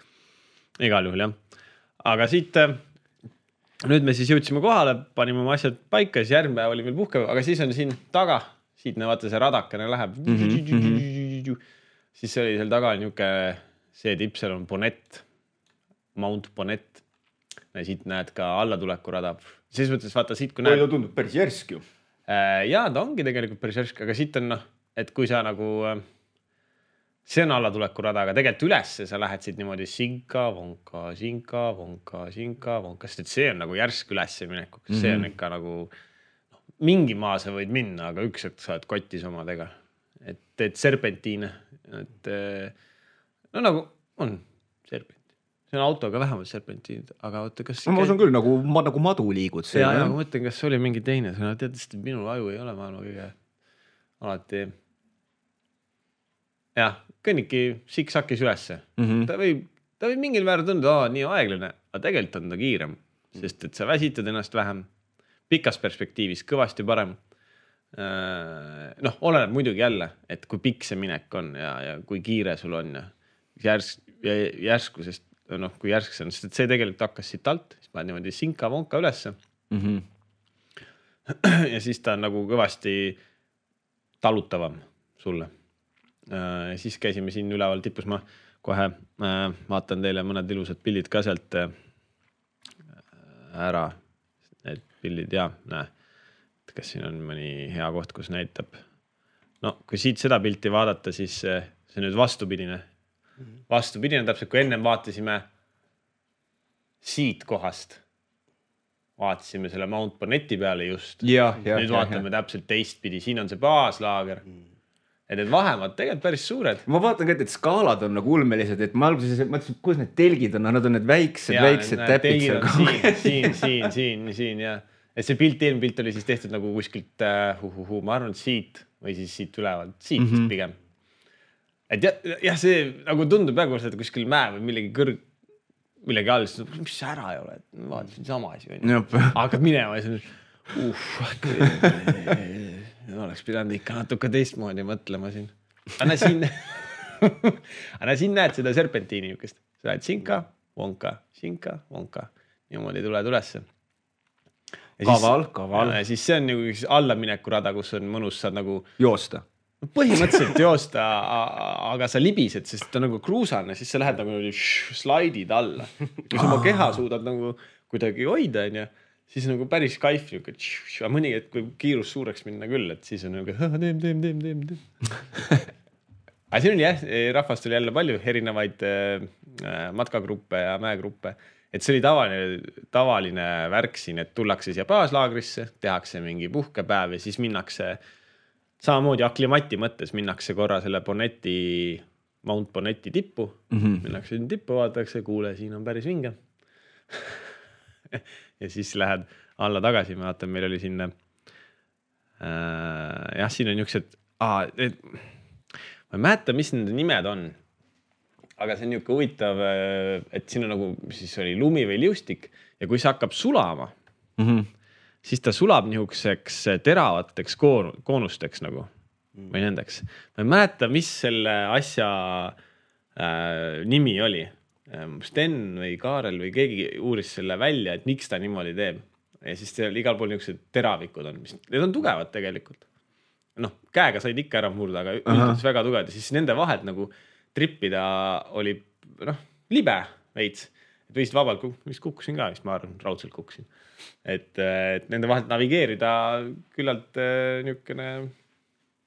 Igal juhul, jah. Aga siit, nüüd me siis jõudsime kohale, panime oma asjad paika, siis järgmine päev oli veel puhkepäev, aga siis on siin taga, siit ne vaata see radakene läheb, mm-hmm. siis oli seal taga niuke, see tipp, seal on Bonnet, Mount Bonnet. Ja siit näed ka allatuleku rada. Siis mõttes vaata siit, kui näed... Oi, ta tundub päris järsk ju. Jaa, ta ongi tegelikult päris järsk, aga siit on noh, et kui sa nagu see on allatulekuraada, aga tegelikult ülesse sa lähed siit niimoodi sinka, vonka, sinka, vonka, sinka, vonka, sest et see on nagu järsk ülesse minekuks. Mm -hmm. See on ikka nagu no, mingi maa sa võid minna, aga üks hetk sa oled kotis omadega. Et teed serpentiine. Et, no nagu on serpent. See on autoga vähemalt serpentiinid, aga oota, kas... No, ma usun küll, nagu, nagu madu liigud. Ja, ja, ma mõtlen, kas oli mingi teine. Sa tead, et minul aju ei ole maailma kõige alati... Jah, kõnniki siksakis ülesse. Mm -hmm. ta, võib, ta võib mingil määral tunda, aa, nii aeglane, aga tegelikult on ta kiirem, sest et sa väsitad ennast vähem. Pikas perspektiivis kõvasti parem. Noh, oleneb muidugi jälle, et kui pikk see minek on ja, ja kui kiire sul on ja, järsk, ja järsku, sest noh, kui järsk see on, sest et see tegelikult hakkas siit alt, siis ma niimoodi sinka vonka ülesse. Mm -hmm. ja siis ta on nagu kõvasti talutavam sulle. Ja siis käisime siin üleval tipus, ma kohe äh, vaatan teile mõned ilusad pildid ka sealt äh, ära. Need pildid, jaa, näe. Kas siin on mõni hea koht, kus näitab. No, kui siit seda pilti vaadata, siis see on nüüd vastupidine. Vastupidine täpselt, kui ennem vaatasime siit kohast. Vaatasime selle Mount Bonnetti peale just. Ja, ja, nüüd ja, vaatame ja. Täpselt teistpidi. Siin on see baaslaager. Et need vahemad tegelikult päris suured. Ma vaatan ka, et skaalad on nagu ulmelised, et ma alguses mõtlesin, kus need telgid on, nad on need väiksed, ja, väiksed täpid seal. Siin, siin, siin, siin, siin ja. Et see pilt, eelmine pilt oli siis tehtud nagu kuskilt, uh, uh, uh, ma arvan, siit või siis siit ülevalt, siit mm -hmm. pigem. Et jah, ja see nagu tundub praegu, et kuskil mäe või millegi kõrg, millegi all, siis mis see ära ei ole, et vaatasin sama asi. Hakkad minema ja siis on, uh, oleks pidanud ikka natuke teistmoodi mõtlema siin. Anna siin, anna siin näed seda serpentiini niukest. Sa lähed sinka, vonka, sinka, vonka. Niimoodi tuled ülesse. Kaval, kaval. Ja siis see on nagu üks allamineku rada, kus on mõnus, saad nagu... Joosta. Põhimõtteliselt joosta, aga sa libised, sest ta on nagu kruusane, siis sa lähed nagu slaidid alla. Kui sa oma keha suudad nagu kuidagi hoida, ja siis on nagu päris kaif, aga mõni, et kui kiirus suureks minna küll, et siis on nagu teem, teem, teem, teem, teem. Aga siin oli jah, rahvast oli jälle palju erinevaid äh, matkagruppe ja mäegruppe, et see oli tavaline, tavaline värk siin, et tullakse siia baaslaagrisse, tehakse mingi puhkepäev ja siis minnakse samamoodi aklimati mõttes, minnakse korra selle Bonnetti, Mount Bonnetti tippu, mm -hmm. minnakse tippu, vaadatakse, kuule, siin on päris vinge. Ja siis lähed alla tagasi, ma vaatan, meil oli siin äh, jah, siin on niisugused ah, et, ma ei mäleta, mis nende nimed on, aga see on niisugune huvitav, et siin on nagu siis oli lumi või liustik ja kui see hakkab sulama, mm -hmm. siis ta sulab niisuguseks teravateks koon, koonusteks nagu mm. või nendeks. Ma ei mäleta, mis selle asja äh, nimi oli. Sten või Kaarel või keegi uuris selle välja, et miks ta niimoodi teeb. Ja siis seal igal pool niisugused teravikud on, mis need on tugevad tegelikult. Noh, käega said ikka ära murda, aga üldse väga tugevad. Ja siis nende vahelt nagu trippida oli noh, libe veits. Et võisid vabalt, mis kukkusin ka, mis ma arvan, raudselt kukkusin. Et, et nende vahelt navigeerida küllalt niisugune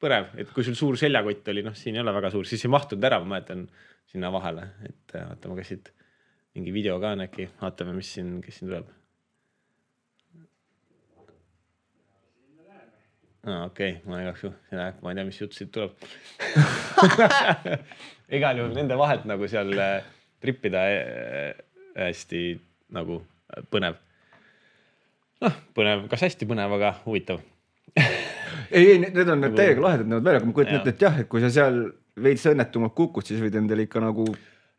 põrev. Et kui sul suur seljakott oli, noh, siin ei ole väga suur, siis ei mahtunud ära, ma mäletan sinna vahele, et vaatame, kas siit mingi video ka on äkki, vaatame, mis siin, kes siin tuleb. Ah, okei, okay. Ma ei jaksu, ma ei tea, mis jutt siit tuleb. Igal juhul nende vahelt nagu seal trippida hästi nagu põnev. Noh, põnev, kas hästi põnev, aga huvitav. ei, ei, need on need täiega lahedad näevad välja, aga ma kujutan ette, et jah, et kui sa seal veits õnnetumalt kukud, siis võid endale ikka nagu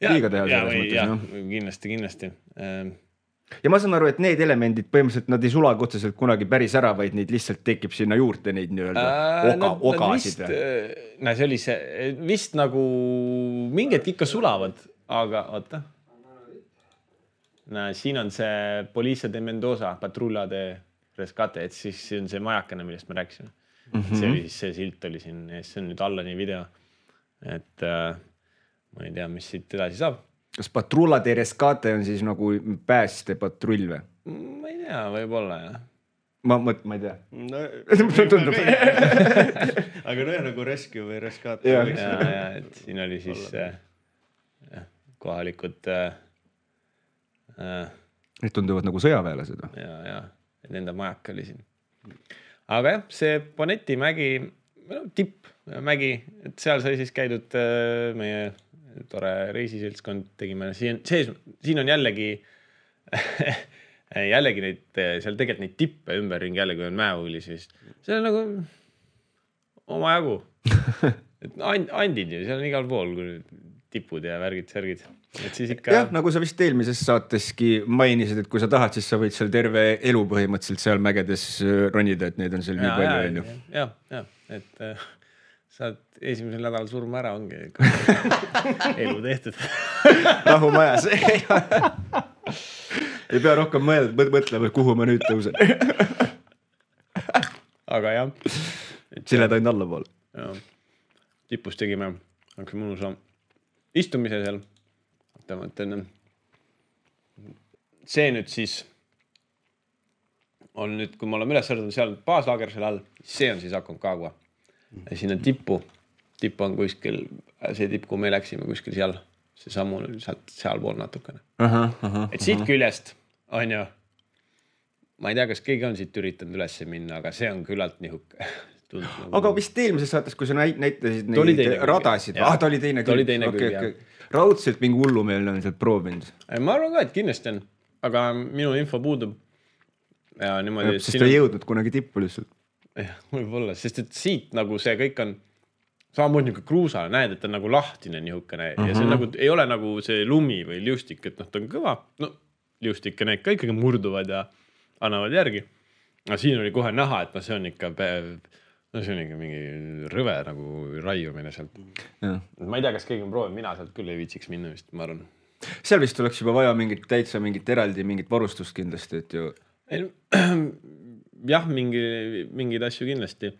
liiga teha. Ja, või, ja no? kindlasti, kindlasti. Ja ma saan aru, et need elemendid põhimõtteliselt nad ei sulagi otseselt kunagi päris ära, vaid neid lihtsalt tekib sinna juurde neid nii-öelda oga, no, ogasid. Vist, no see oli see, vist nagu mingid ikka sulavad, aga oota. No, siin on see Policia de Mendoza, Patrulla de Rescate, et siis on see majakene, millest me rääkisime. Mm -hmm. See oli siis, see silt oli siin, see on nüüd Allani video. Et äh, ma ei tea, mis siit edasi saab. Kas Patrulla de Rescate on siis nagu pääste patrull või? Ma ei tea, võib-olla jah. ma mõt-, ma ei tea no, tundub aga no nagu rescue või rescate ja, ja, ja, et siin oli siis äh, kohalikud äh, äh, need tunduvad nagu sõjaväelased ja, ja nende majak oli siin aga jah, see Boneti mägi no, tipp mägi, et seal sai siis käidud äh, meie tore reisiseltskond tegime siin, sees, siin on jällegi jällegi neid, seal tegelikult neid tippe ümberringi jällegi on mäehuuli, siis see on nagu oma jagu. Et andid ju, seal on igal pool tipud ja värgid, särgid. Et siis ikka... jah, nagu sa vist eelmises saateski mainisid, et kui sa tahad, siis sa võid seal terve elu põhimõtteliselt seal mägedes ronida, et neid on seal ja, nii palju. Ja, ja, ja, ja, et äh, saad esimesel nädalal surma ära, ongi elu tehtud. Rahu majas. Ei pea rohkem mõelda, mõtlema, kuhu ma nüüd tõusen. Aga jah. Sile taid alla poole. Ja. Tipus tegime, hakkas mõnusa istumise seal. Mõtlen, see nüüd siis on nüüd, kui me oleme üles sõrdunud seal baaslaager seal all, see on siis Aconcagua. Ja siin on tippu. Tipp on kuskil, see tipp, kui me läksime kuskil seal. See sammu sealt seal pool natukene. Aha, aha, et siit aha. Küljest on ju, ma ei tea, kas keegi on siit üritanud üles minna, aga see on küllalt nihuke. Nagu... Aga vist eelmises saates, kui sa näitasid neid radasid, ah, ta oli teine küll. Teine okay, küll okay. Raudselt mingi hullumeelne on sealt proovinud. Ma arvan ka, et kindlasti on, aga minu info puudub. Ja niimoodi, ja, sest ta ei jõudnud kunagi tippu lihtsalt. jah, võib-olla, sest et siit nagu see kõik on samamoodi nagu kruusa, näed, et ta on nagu lahtine nihukene uh-huh. ja see nagu, ei ole nagu see lumi või liustik, et noh, ta on kõva, no liustik ja need ka ikkagi murduvad ja annavad järgi. Aga siin oli kohe näha, et no see on ikka päev, no see on ikka mingi rõve nagu raiumine sealt. Ja. Ma ei tea, kas keegi on proovinud, mina sealt küll ei viitsiks minna vist, ma arvan. Seal vist oleks juba vaja mingit täitsa mingit eraldi, mingit varustust kindlasti, et ju... Ei, jah, mingi, mingid asju kindlasti.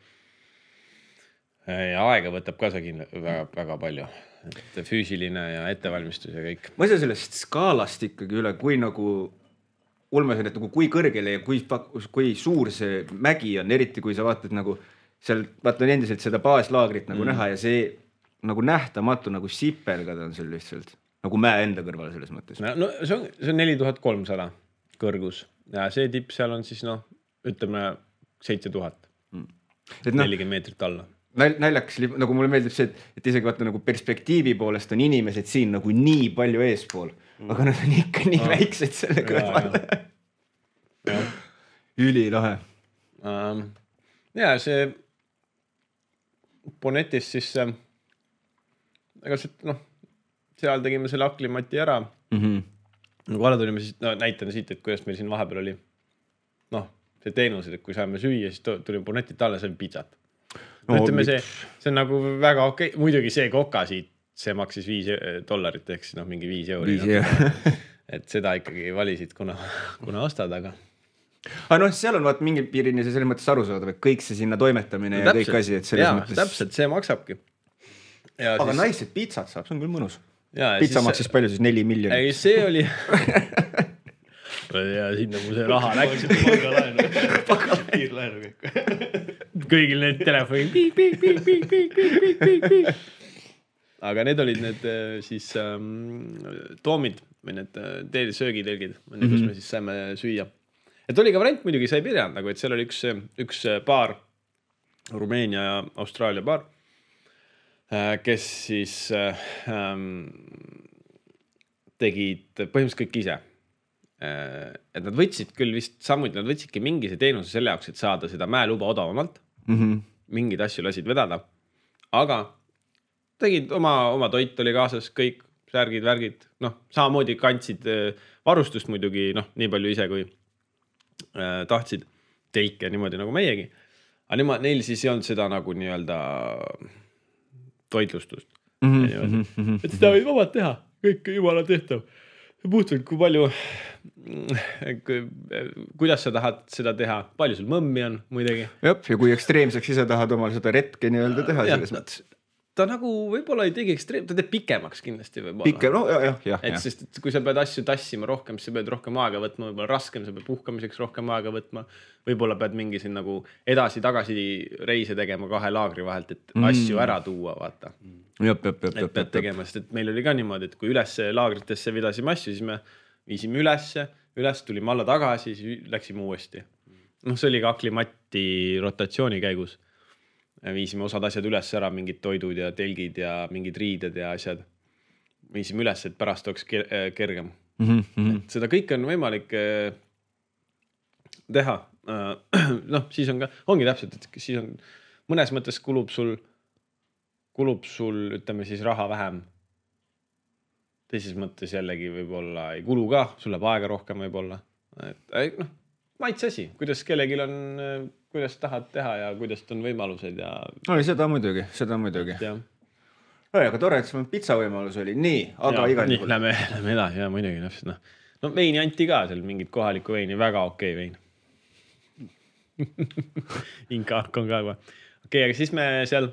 Ja aega võtab ka see väga, väga palju. Et füüsiline ja ettevalmistus ja kõik. Ma ei saa sellest skaalast ikkagi üle, kui nagu, ulmesin, et nagu kui kõrgele ja kui, kui suur see mägi on, eriti kui sa vaatad nagu, seal vaatan endiselt seda baaslaagrit nagu mm. näha ja see nagu nähtamatu nagu sipelgad on seal lihtsalt. Nagu mäe enda kõrval selles mõttes. No, no see on, see on neli tuhat kolmsada kõrgus ja see tipp seal on siis noh, ütleme seitse tuhat. Mm. No, nelikümmend meetrit alla. Näljakas, nagu mulle meeldib see, et isegi vaata nagu perspektiivi poolest on inimesed siin nagu nii palju eespool, mm. aga nad on ikka nii ah. väiksed selle kõrval. Ja. Üli lahe. Um, ja see Bonetis siis, aga see, noh, seal tegime selle aklimati ära. Mm-hmm. Nagu alla tulime siis, no näitan siit, et kuidas meil siin vahepeal oli, noh, see teenused, et kui saime süüa, siis tulime Bonetit alla, see on pizzat. No, ütleme see, see on nagu väga okei, okay. Muidugi see koka siit, see maksis viis dollarit, ehk siis noh, mingi viis euri. No. Et seda ikkagi valisid, kuna, kuna ostad, aga... Aga noh, seal on vaat mingi piirini see selles mõttes aru saada, et kõik see sinna toimetamine no, ja täpselt, kõik asi, et selles jaa, mõttes... täpselt, see maksabki. Ja aga siis... naised pizzat saab, see on küll mõnus. Ja, Pizza siis... maksis palju siis neli miljonit. Ei, see oli... ja sinna mu see raha läks. Pangalaenu. Pangalaenu kõik. Kõigil need telefoni piik, piik, piik, piik, piik, piik, piik, piik, piik. Aga need olid need siis ähm, toomid või need teel söögitelgid, mm-hmm. kus me siis saime süüa. Et oli ka variant muidugi, sa ei pidanud, nagu, et seal oli üks, üks baar, Rumeenia ja Austraalia baar, kes siis ähm, tegid põhimõtteliselt kõik ise. Et nad võtsid küll vist samuti, nad võtsidki mingi see teenuse selle jaoks, et saada seda mäeluba odavamalt. Mm-hmm. Mingid asju lasid vedada. Aga tegid oma, oma toit oli kaasas, kõik särgid, värgid. Noh, samamoodi kandsid varustust muidugi, noh, nii palju ise kui äh, tahtsid telke niimoodi nagu meiegi. Aga nema, neil siis ei olnud seda nagu nii-öelda toitlustust. Mm-hmm. Mm-hmm. Et seda võid vabalt teha, kõik jumala tehtav. Puhtult, kui palju, kuidas sa tahad seda teha, palju sul mõmmi on muidegi. Jop, ja kui ekstreemseks ise tahad omal seda retke nii-öelda teha selles mõttes. ta nagu võib-olla ei tegi ekstreem, ta teeb pikemaks kindlasti võib-olla. Pikem, no jah, jah, jah. Et sest et kui sa pead asju tassima rohkem, siis sa pead rohkem aega võtma, võib-olla raskem, sa pead puhkamiseks rohkem aega võtma. Võib-olla pead mingi siin nagu edasi-tagasi reise tegema kahe laagri vahelt, et mm. asju ära tuua, vaata. Jop, jop, jop, et pead tegema, sest et meil oli ka niimoodi, et kui üles laagritesse vedasime asju, siis me viisime ülesse, üles tulime alla tagasi, siis läksime uuesti. noh, see oli ka Aklimati rotatsiooni käigus. Viisime osad asjad üles ära, mingid toidud ja telgid ja mingid riided ja asjad. Viisime üles, et pärast oleks kergem. Mm-hmm. Et seda kõike on võimalik teha. Noh, siis on ka, ongi täpselt, et siis on, mõnes mõttes kulub sul, kulub sul, ütleme siis raha vähem. Teises mõttes jällegi võib-olla ei kulu ka, sul läheb aega rohkem võib-olla. Et, noh, maitse asi, kuidas kellelgi on, kuidas tahad teha ja kuidas on võimalused ja... No seda muidugi, seda muidugi. Ja. No, aga tore, et sul pizza võimalus oli. Nii, aga ja, igal juhul. Lähme, lähme edasi, ja muidugi. No, no veini anti ka seal, mingit kohalikku veini, väga okei vein. Inkaark on ka juba. Okei, aga siis me seal,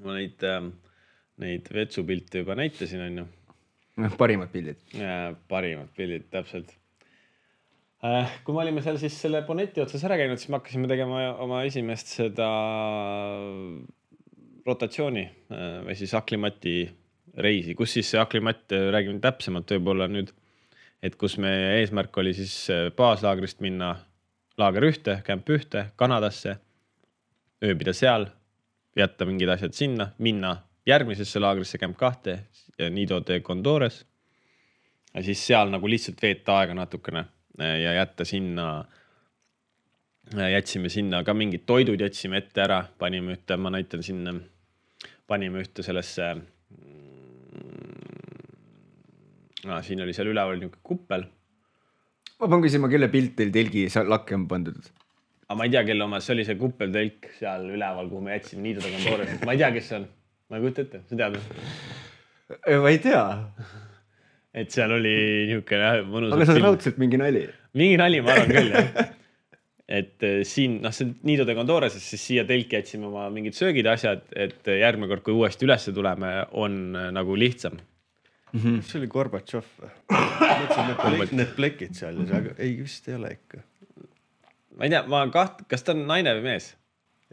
ma neid, neid vetsupilte juba näitasin, on ju. Parimad pildid. Ja, parimad pildid, täpselt. Kui me olime seal siis selle Bonnetti otsas ära käinud, siis me hakkasime tegema oma esimest seda rotatsiooni või siis Aklimati reisi, kus siis see Aklimat, räägime täpsemalt võib-olla nüüd, et kus meie eesmärk oli siis baaslaagrist minna laager ühte, kämp ühte, Kanadasse, ööbida seal, jätta mingid asjad sinna, minna järgmisesse laagrisse kämp kahte ja Nido de Condores ja siis seal nagu lihtsalt veeta aega natukene ja jätta sinna, jätsime sinna ka mingid toidud, jätsime ette ära, panime ühte, ma näitan sinna, panime ühte sellesse, no, siin oli seal üleval niisugune kuppel. Ma pean küsima, kelle pilt teil telgi lakke on pandud? Aga ma ei tea, kelle oma, see oli see kuppeltelk seal üleval, kuhu me jätsime Nido de Condores. Ma ei tea, kes see on. Ma ei kujuta ette, sa tead? Ma ei tea. Et seal oli niisugune mõnus. Aga see on raudselt mingi nali. Mingi nali, ma arvan küll, jah. Et siin, noh, see Nido de Condores, siis siia telki jätsime oma mingid söögid asjad, et järgmine kord, kui uuesti ülesse tuleme, on nagu lihtsam. Mm-hmm. See oli Gorbatšov. Mõtlesin, need plekid seal, aga ei, vist ei ole ikka. Ma ei tea, ma kaht, kas ta on naine või mees?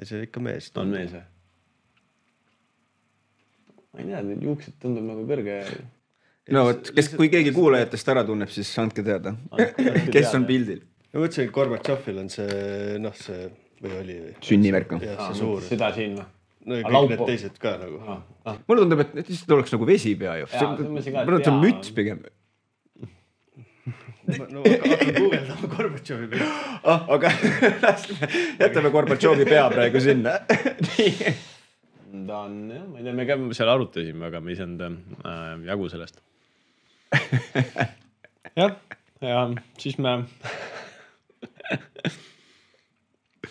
Ja see ikka mees. On mees või? Ma ei tea, juuksed tundub nagu kõrge. No, võt, kes, kui keegi kuulajatest ära tunneb, siis andke teada. Kes on pildil? No mõtlesin, et Gorbatšovil on see, noh, see, või oli... Sünnimärk. Jah, see suur. Seda siin või? No ja kõik need teised ka nagu. Ah, ah. Mulle tundub, et lihtsalt oleks nagu vesi pea ju. Mulle on müts pigem. No hakka guugeldama Gorbatšovi pea. Ah, aga jätame Gorbatšovi pea praegu sinna. Ta on, jah, ma ei tea, me käime seal arutasime, aga me ei saanud äh, jagu sellest. jah, ja siis me...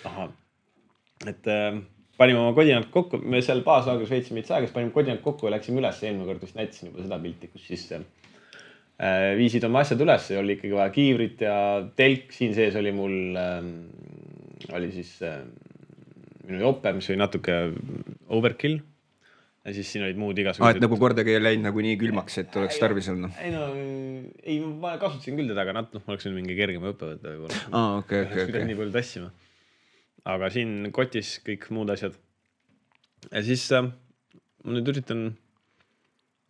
Aha, et äh, panime oma kodinad kokku, me seal baaslaagris veitsime meid saagas, panime kodinad kokku ja läksime üles, eelmine kord vist näitasin juba seda pilti, kus siis äh, viisid oma asjad üles, oli ikkagi vaja kiivrit ja telk, siin sees oli mul, äh, oli siis... Äh, minu jope, mis oli natuke overkill ja siis siin olid muud igasugused. Ah, et nagu kordagi ei läinud nagu nii külmaks, et oleks tarvis olnud? Ei no, ei, ma kasutasin küll teda, aga noh, ma oleks mingi kergema õppe võtta võib-olla. Ah, okei, okei, okei. Nii palju tassima. Aga siin kotis kõik muud asjad. Ja siis äh, ma nüüd üritan,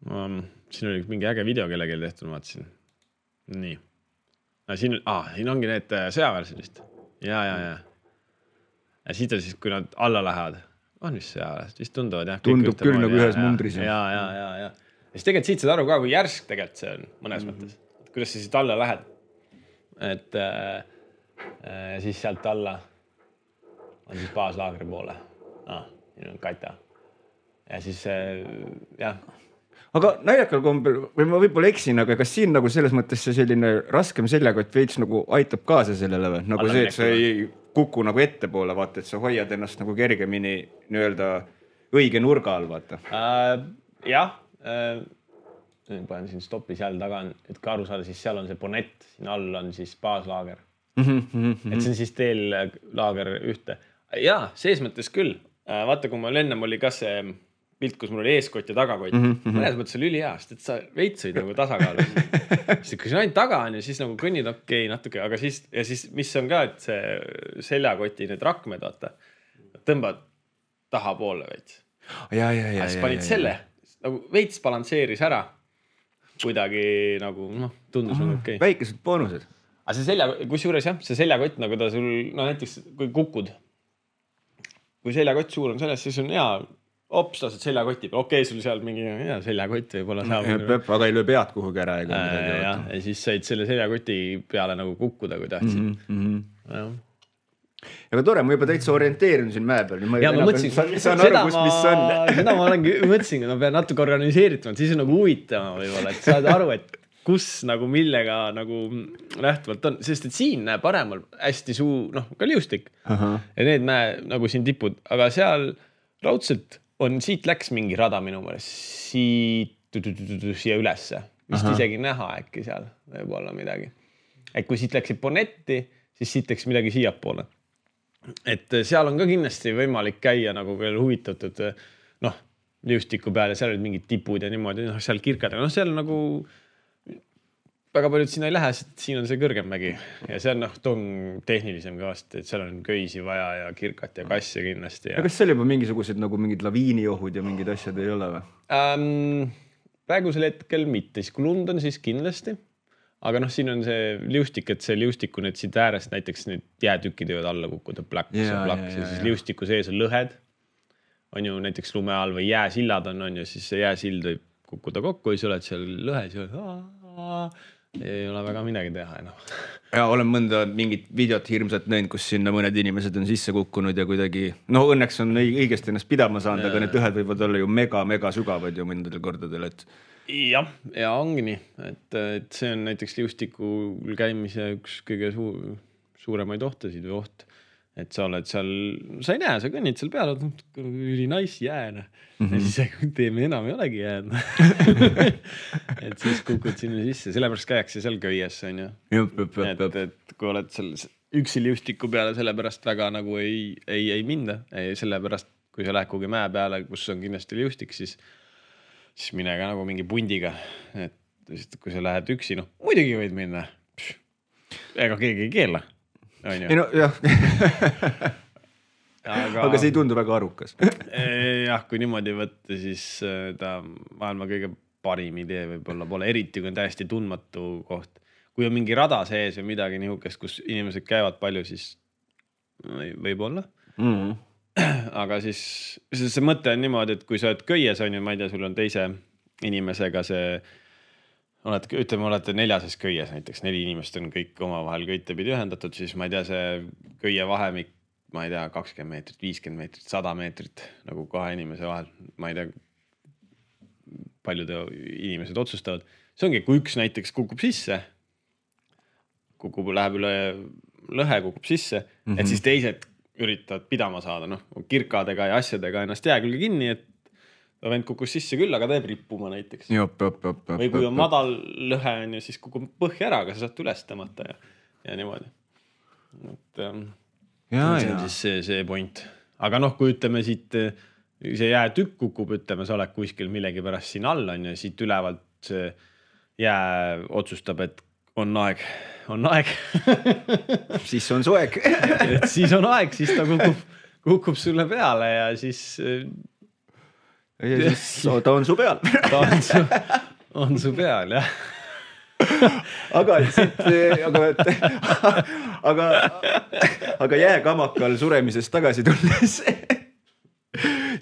ähm, siin oli mingi äge video kellegi tehtud, ma vaatasin. Nii. Ja siin, ah, siin ongi need sõjaväärsid vist. Ja, ja, ja. Ja siit on siis, kui nad alla lähevad, on vist see ajast, vist tunduvad jah. Tundub küll nagu ühes mundris. Ja, ja, ja, ja. Ja siis tegelikult siit saad aru ka, kui järsk tegelikult see on mõnes mm-hmm. mõttes. Kuidas sa siit alla lähed. Et äh, siis sealt alla on siis baaslaagri poole. Ah, siin on Katja. Ja siis äh, jah. Aga naljakal kombel, või ma võib-olla eksin, aga kas siin nagu selles mõttes see selline raskem seljaga, et veits nagu aitab kaasa sellele või? Nagu alla see, et sa ei kuku nagu ette poole, vaata, et sa hoiad ennast nagu kergemini nii-öelda õige nurga all, vaata. Äh, jah, äh, panen siin stopis jälle taga, et ka aru saada, siis seal on see Bonnett, siin all on siis baaslaager. Mm-hmm, mm-hmm. Et see on siis teel laager ühte. Jaa, sees mõttes küll. Vaata, kui meil ennem oli ka see pilt, kus mul oli eeskott ja tagakott mm. -hmm. mõnes mõttes oli ülihea, sest et sa veits olid nagu tasakaalus. siis kui sa ainult taga on ja siis nagu kõnnid okei okay, natuke, aga siis ja siis mis on ka, et see seljakoti need rakmed, vaata, tõmbad tahapoole veits. Ja, ja, ja, siis panid ja, ja, selle, ja. nagu veits balansseeris ära. Kuidagi nagu, noh, tundus mm, nagu okei. Okay. Väikesed boonused. Aga see selja, kus juures jah, see seljakott, nagu ta sul, no näiteks kui kukud, kui seljakott suur on selles, siis on hea, hops, lased seljakoti peal, okei okay,, sul seal mingi hea seljakott võib-olla saab. Aga ei löö pead kuhugi ära. Ega äh, ja, ja siis said selle seljakoti peale nagu kukkuda, kui tahtsid. Mm -hmm. ja. Aga tore, ma juba täitsa orienteerin siin mäe peal. Ma ja ma mõtlesin, saan, saan aru, kus, mis on. Seda ma olengi mõtlesin, et ma pean natuke organiseeritud, siis on nagu huvitama võib-olla, et saad aru, et kus nagu millega nagu lähtuvalt on. Sest et siin näeb paremal hästi suu, noh, ka liustik. Aha. Ja need näe nagu siin tipud. Aga seal raudselt on, siit läks mingi rada minu mõelest, siit siia ülesse. Vist Aha. isegi näha äkki seal võib olla midagi. Et kui siit läksid Bonetti, siis siit läks midagi siia poole. Et seal on ka kindlasti võimalik käia nagu veel huvitatud, noh, liustiku peal ja seal olid mingid tipud ja niimoodi, noh, seal kirkad, noh, seal nagu väga paljud sinna ei lähe, sest siin on see kõrgem mägi ja see on, noh, tong tehnilisem ka vast, et seal on köisi vaja ja kirkat ja kasse kindlasti. Ja, ja kas seal juba mingisugused nagu mingid laviiniohud ja mingid asjad ei ole või? Ähm, praegusel hetkel mitte, siis kui lund on, siis kindlasti. Aga noh, siin on see liustik, et see liustiku need siit äärest näiteks need jäätükid võivad alla kukkuda plaks ja, ja plaks ja, ja, ja siis liustiku sees on lõhed. On ju näiteks lume all või jääsillad on, on ju, siis see jääsild võib kukkuda kokku ja sa oled seal lõhes ja oled, ei ole väga midagi teha enam. Ja olen mõnda mingit videot hirmsat näinud, kus sinna mõned inimesed on sisse kukkunud ja kuidagi, no õnneks on õigesti ennast pidama saanud, ja, aga need lõhed võivad olla ju mega, mega sügavad ju mõndadel kordadel, et jah, ja ongi nii, et, et see on näiteks liustikul käimise üks kõige suur, suuremaid ohtasid või oht, et sa oled seal, sa ei näe, sa kõnnid seal peal, üli nice jääne mm -hmm. ja siis teeme enam ei olegi jääd. et siis kukud sinna sisse, sellepärast käiakse seal köies, on ju. Et, et kui oled seal üksi liustiku peale, sellepärast väga nagu ei, ei, ei minda, ei, sellepärast kui sa lähed kuhugi mäe peale, kus on kindlasti liustik, siis siis mine ka nagu mingi pundiga, et kui sa lähed üksi, noh, muidugi võid minna. Pš, ega keegi ei keela. Ei no, jah. aga, aga see ei tundu väga arukas. jah, kui niimoodi võtta, siis ta maailma kõige parim idee võib-olla pole, eriti kui on täiesti tundmatu koht. Kui on mingi rada sees või midagi nihukest, kus inimesed käivad palju, siis võib olla. Mm-hmm. Aga siis see mõte on niimoodi, et kui sa oled köies, on ju, ma ei tea, sul on teise inimesega see, oled, ütleme, olete neljases köies näiteks, neli inimest on kõik oma vahel köitepidi ühendatud, siis ma ei tea, see köie vahemik, ma ei tea, kakskümmend meetrit, viiskümmend meetrit, sada meetrit nagu kahe inimese vahel, ma ei tea, paljud inimesed otsustavad. See ongi, kui üks näiteks kukub sisse, kukub, läheb üle lõhe, kukub sisse, mm-hmm. et siis teised üritavad pidama saada, noh, kirkadega ja asjadega ennast jää külge kinni, et vend kukus sisse küll, aga teeb rippuma näiteks. Jop, jop, jop, või kui on madal lõhe, on ju, siis kukub põhja ära, aga sa saad üles tõmmata ja, ja niimoodi. Et, ähm, ja, see on ja. siis see, see point. Aga noh, kui ütleme siit, see jäätükk kukub, ütleme, sa oled kuskil millegi pärast siin all, on ju, siit ülevalt see jää otsustab, et on aeg, on aeg. siis on su aeg. et siis on aeg, siis ta kukub, kukub sulle peale ja siis... ja siis ta on su peal. ta on su, on su peal, jah. aga siit, aga, aga, aga jääkamakal suremisest tagasi tulles...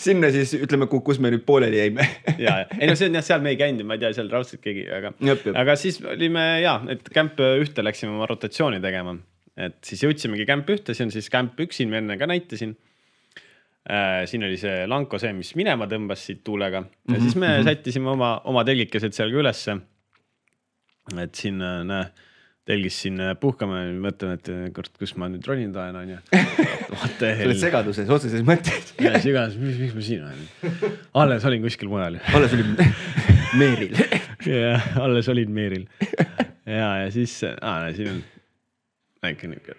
sinna siis, ütleme, kus me nüüd pooleli jäime. ja, ei no see on jah, seal me ei käinud, ma ei tea, seal raudselt keegi, aga, jop, jop. aga siis olime, jah, et kämp ühte läksime oma rotatsiooni tegema, et siis jõudsimegi kämp ühte, see on siis kämp üks, siin me enne ka näitasin. Äh, siin oli see lanko see, mis minema tõmbas siit tuulega ja mm-hmm. siis me mm-hmm. sättisime oma, oma telgikesed seal ka ülesse. Et siin, näe, telgis siin puhkame, mõtlen, et kord, kus ma nüüd ronin tahan, on ju. Sa oled segaduses, otseses mõttes. ja segaduses, mis, mis ma siin olen? Alles olin kuskil mujal. Alles olin Meeril. ja, alles olin Meeril. ja, ja siis, aa, näe, siin on väike niuke.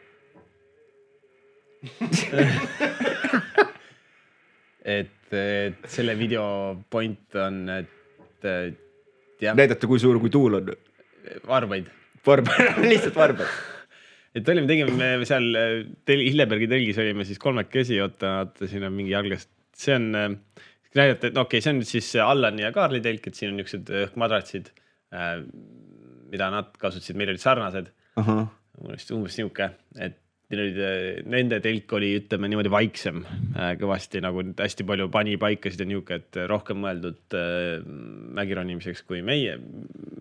et, et selle video point on, et jah. Näidata, kui suur, kui tuul on. Varbaid. Varbaid, lihtsalt varbaid. Et olime, tegime seal tel, Hillebergi telgis olime siis kolmekesi, oota, oota, siin on mingi jalgast. See on, näidata, et no okei, okay, see on siis Allani ja Kaarli telk, et siin on niisugused õhkmadratsid, mida nad kasutasid, meil olid sarnased. Uh-huh. Umbes niuke, et nende telk oli, ütleme niimoodi vaiksem kõvasti, nagu hästi palju pani paikasid ja niuke, et rohkem mõeldud mägironimiseks kui meie,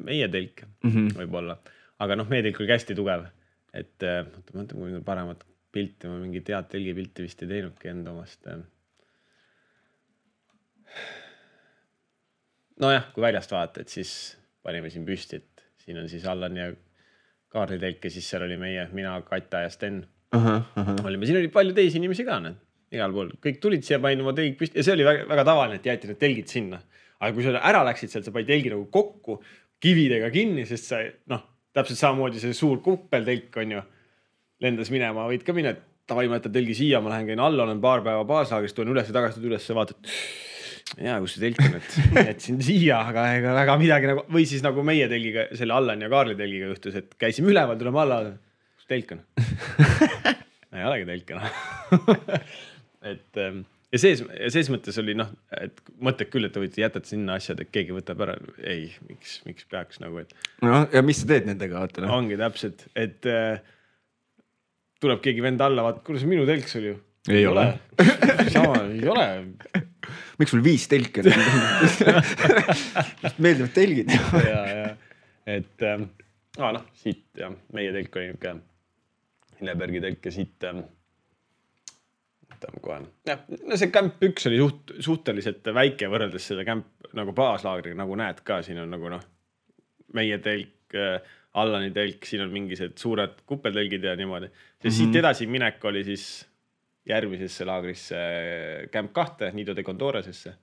meie telk uh-huh. võib-olla. Aga noh, meie telk oli hästi tugev. Et mõtleme, mõtleme, kui paremat pilti, ma mingi tead telgi pilti vist ei teinudki enda omast. No jah, kui väljast vaadata, et siis panime siin püsti, et siin on siis Allan ja Kaarli telk ja siis seal oli meie, mina, Katja ja Sten. Uh-huh, uh-huh. Olime, siin oli palju teisi inimesi ka, need, igal pool. Kõik tulid siia, panin oma telg püsti ja see oli väga, väga tavaline, et jäeti need telgid sinna. Aga kui sa ära läksid sealt, sa paid telgi nagu kokku, kividega kinni, sest sa, noh, täpselt samamoodi see suur kuppeltelk on ju, lendas minema, võid ka minna, et tavai, ma jätan telgi siia, ma lähen käin alla, olen paar päeva baaslaagrist, tulen üles ja tagasi üles ja vaatad, jaa, kus see telk on, et jätsin siia, aga ega väga midagi nagu, või siis nagu meie telgiga, selle Allan ja Kaarli telgiga juhtus, et käisime üleval, tuleme alla, kus telk on? ei olegi telk enam. et ja sees, ja sees mõttes oli noh, et mõtled küll, et te võite jätad sinna asjad, et keegi võtab ära. Ei, miks, miks peaks nagu, et... No, ja mis sa teed nendega? Vaata, no? Ongi täpselt, et äh, tuleb keegi vend alla, vaata, kuule see minu telk sul ju. Ei, ei ole. ole. Sama, ei ole. Miks sul viis telki on? Meeldivad telgid. ja, ja. Et äh, ah, noh, siit ja meie telk oli niuke Hillebergi telk ja siit... Äh, kohe. Ja, no see kämp üks oli suht, suhteliselt väike võrreldes selle kämp nagu baaslaagriga, nagu näed ka, siin on nagu noh, meie telk, Allani telk, siin on mingised suured kuppeltelgid ja niimoodi. Ja siit mm-hmm. edasi minek oli siis järgmisesse laagrisse kämp kahte, Nido de Condoresesse.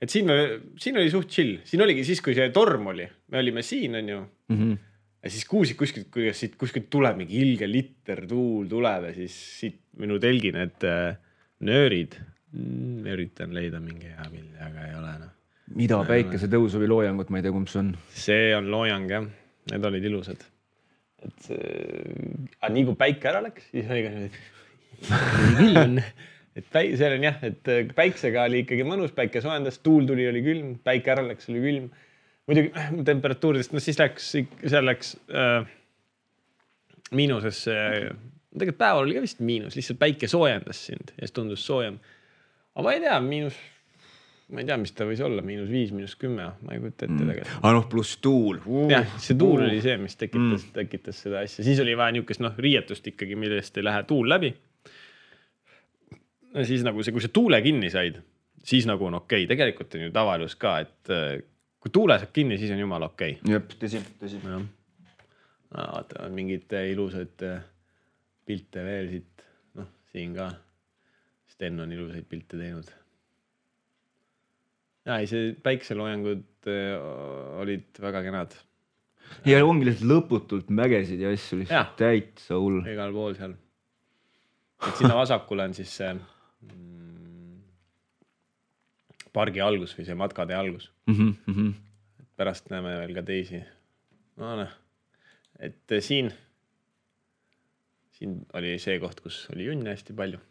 Et siin, me, siin oli suht chill. Siin oligi siis, kui see torm oli, me olime siin, on ju. Mm-hmm. Ja siis kuusid kuskilt, kui siit kuskilt tuleb mingi ilge litter tuul tuleb ja siis siit minu telgi need äh, nöörid. Mm, üritan leida mingi hea pildi, aga ei ole. No. Mida päikese tõus või loojangut, ma ei tea, kumb see on? See on loojang, jah. Need olid ilusad. Et see... aga nii kui päike ära läks, siis oli ka küll on. Et päi... see on jah, et päiksega oli ikkagi mõnus, päike soojendas, tuul tuli, oli külm, päike ära läks, oli külm. Muidugi temperatuuridest, no siis läks, seal läks äh, miinusesse, tegelikult päeval oli ka vist miinus, lihtsalt päike soojendas sind ja siis tundus soojem. Aga ma ei tea, miinus, ma ei tea, mis ta võis olla, miinus viis, miinus kümme, ma ei kujuta ette tegelikult. Mm. Ah, noh, pluss tuul. Uh, jah, see tuul uh. oli see, mis tekitas, mm. tekitas seda asja. Siis oli vaja niukest noh, riietust ikkagi, millest ei lähe tuul läbi. Ja siis nagu see, kui see tuule kinni said, siis nagu on okei. Okay. Tegelikult on ju tavalus ka, et kui tuule saab kinni, siis on jumal okei. Okay. Jep, tõsi, tõsi. No, vaata, on mingid ilusad pilte veel siit. Noh, siin ka. Sten on ilusaid pilte teinud. Ja, ei, see päikseloojangud olid väga kenad. Ja ongi lihtsalt lõputult mägesid ja asju lihtsalt täitsa hull. Igal pool seal. Et sinna vasakule on siis see pargi algus või see matkade algus. Mm-hmm, mm-hmm. Pärast näeme veel ka teisi. No, noh. Et siin, siin oli see koht, kus oli junne hästi palju.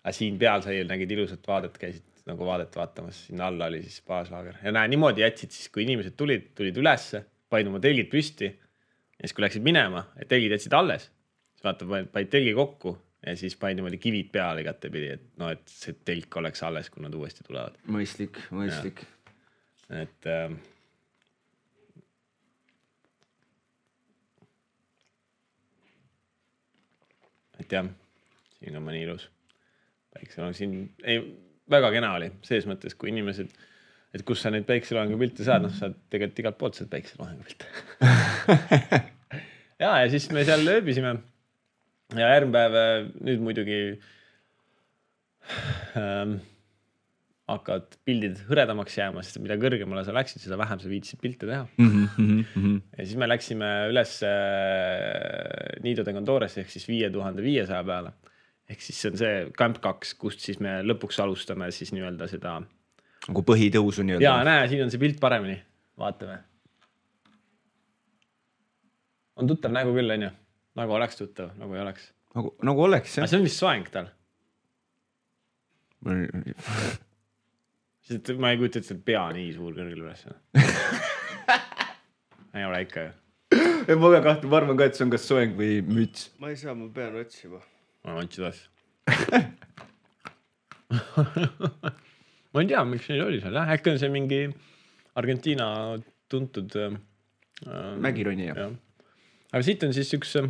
Aga siin peal sai nägid ilusat vaadet, käisid nagu vaadet vaatamas. Sinna alla oli siis baaslaager. Ja näe, niimoodi jätsid siis, kui inimesed tulid, tulid ülesse, paid oma telgid püsti. Ja siis, kui läksid minema, et telgid jätsid alles, siis vaata, paid telgi kokku. Ja siis panin niimoodi kivid peale igate pidi, et, no, et see telk oleks alles, kui nad uuesti tulevad. Mõistlik, mõistlik. Ja. Et äh, et jah, siin on mõni ilus päikseloang. Siin ei, väga kena oli sees mõttes, kui inimesed, et kus sa neid päikseloangu pilte saad, noh, saad tegelikult igalt poolt saad päikseloangu pilte. ja, ja siis me seal ööbisime. Ja järgmpäev nüüd muidugi ähm, hakkavad pildid hõredamaks jääma, sest mida kõrgemale sa läksid, seda vähem sa viitsid pilte teha. Mm-hmm, mm-hmm. Ja siis me läksime üles äh, Nido de Condores ehk siis viie tuhande viiesaja peale. ehk siis see on see Camp kaks, kust siis me lõpuks alustame siis nii-öelda seda. Nagu põhitõusu nii-öelda. Jaa, näe, siin on see pilt paremini. Vaatame. On tuttav nägu küll, on ju? Nagu oleks tuttav, nagu ei oleks. Nagu, nagu oleks, jah. Aga see on vist soeng tal. Sest ma ei kujuta, et see pea nii suur kõrgel üles. ei ole ikka ju. Ma ka kahtu, ma arvan ka, et see on kas soeng või müts. Ma ei saa, ma pean otsima. Ma otsid asja. ma ei tea, miks neil oli seal. Äkki on see mingi Argentiina tuntud äh, mägironi. Ja. Aga siit on siis üks äh,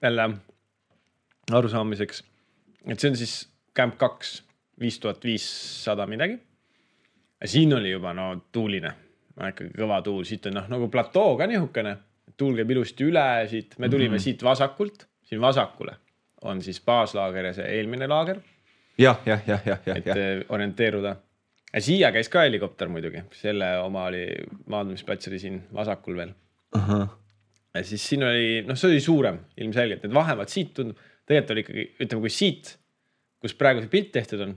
jälle arusaamiseks, et see on siis Camp kaks, viis tuhat viissada midagi. Ja siin oli juba no tuuline, ikkagi kõva tuul, siit on no, nagu platoo ka nihukene, tuul käib ilusti üle, siit me tulime mm-hmm. siit vasakult, siin vasakule on siis baaslaager ja see eelmine laager. Jah, jah, jah, jah, jah. Et ja. orienteeruda. Ja siia käis ka helikopter muidugi, selle oma oli maandumisplats oli siin vasakul veel. Aha. Ja siis siin oli, noh see oli suurem ilmselgelt, et vahemalt siit tundub, tegelikult oli ikkagi, ütleme kui siit, kus praegu see pilt tehtud on,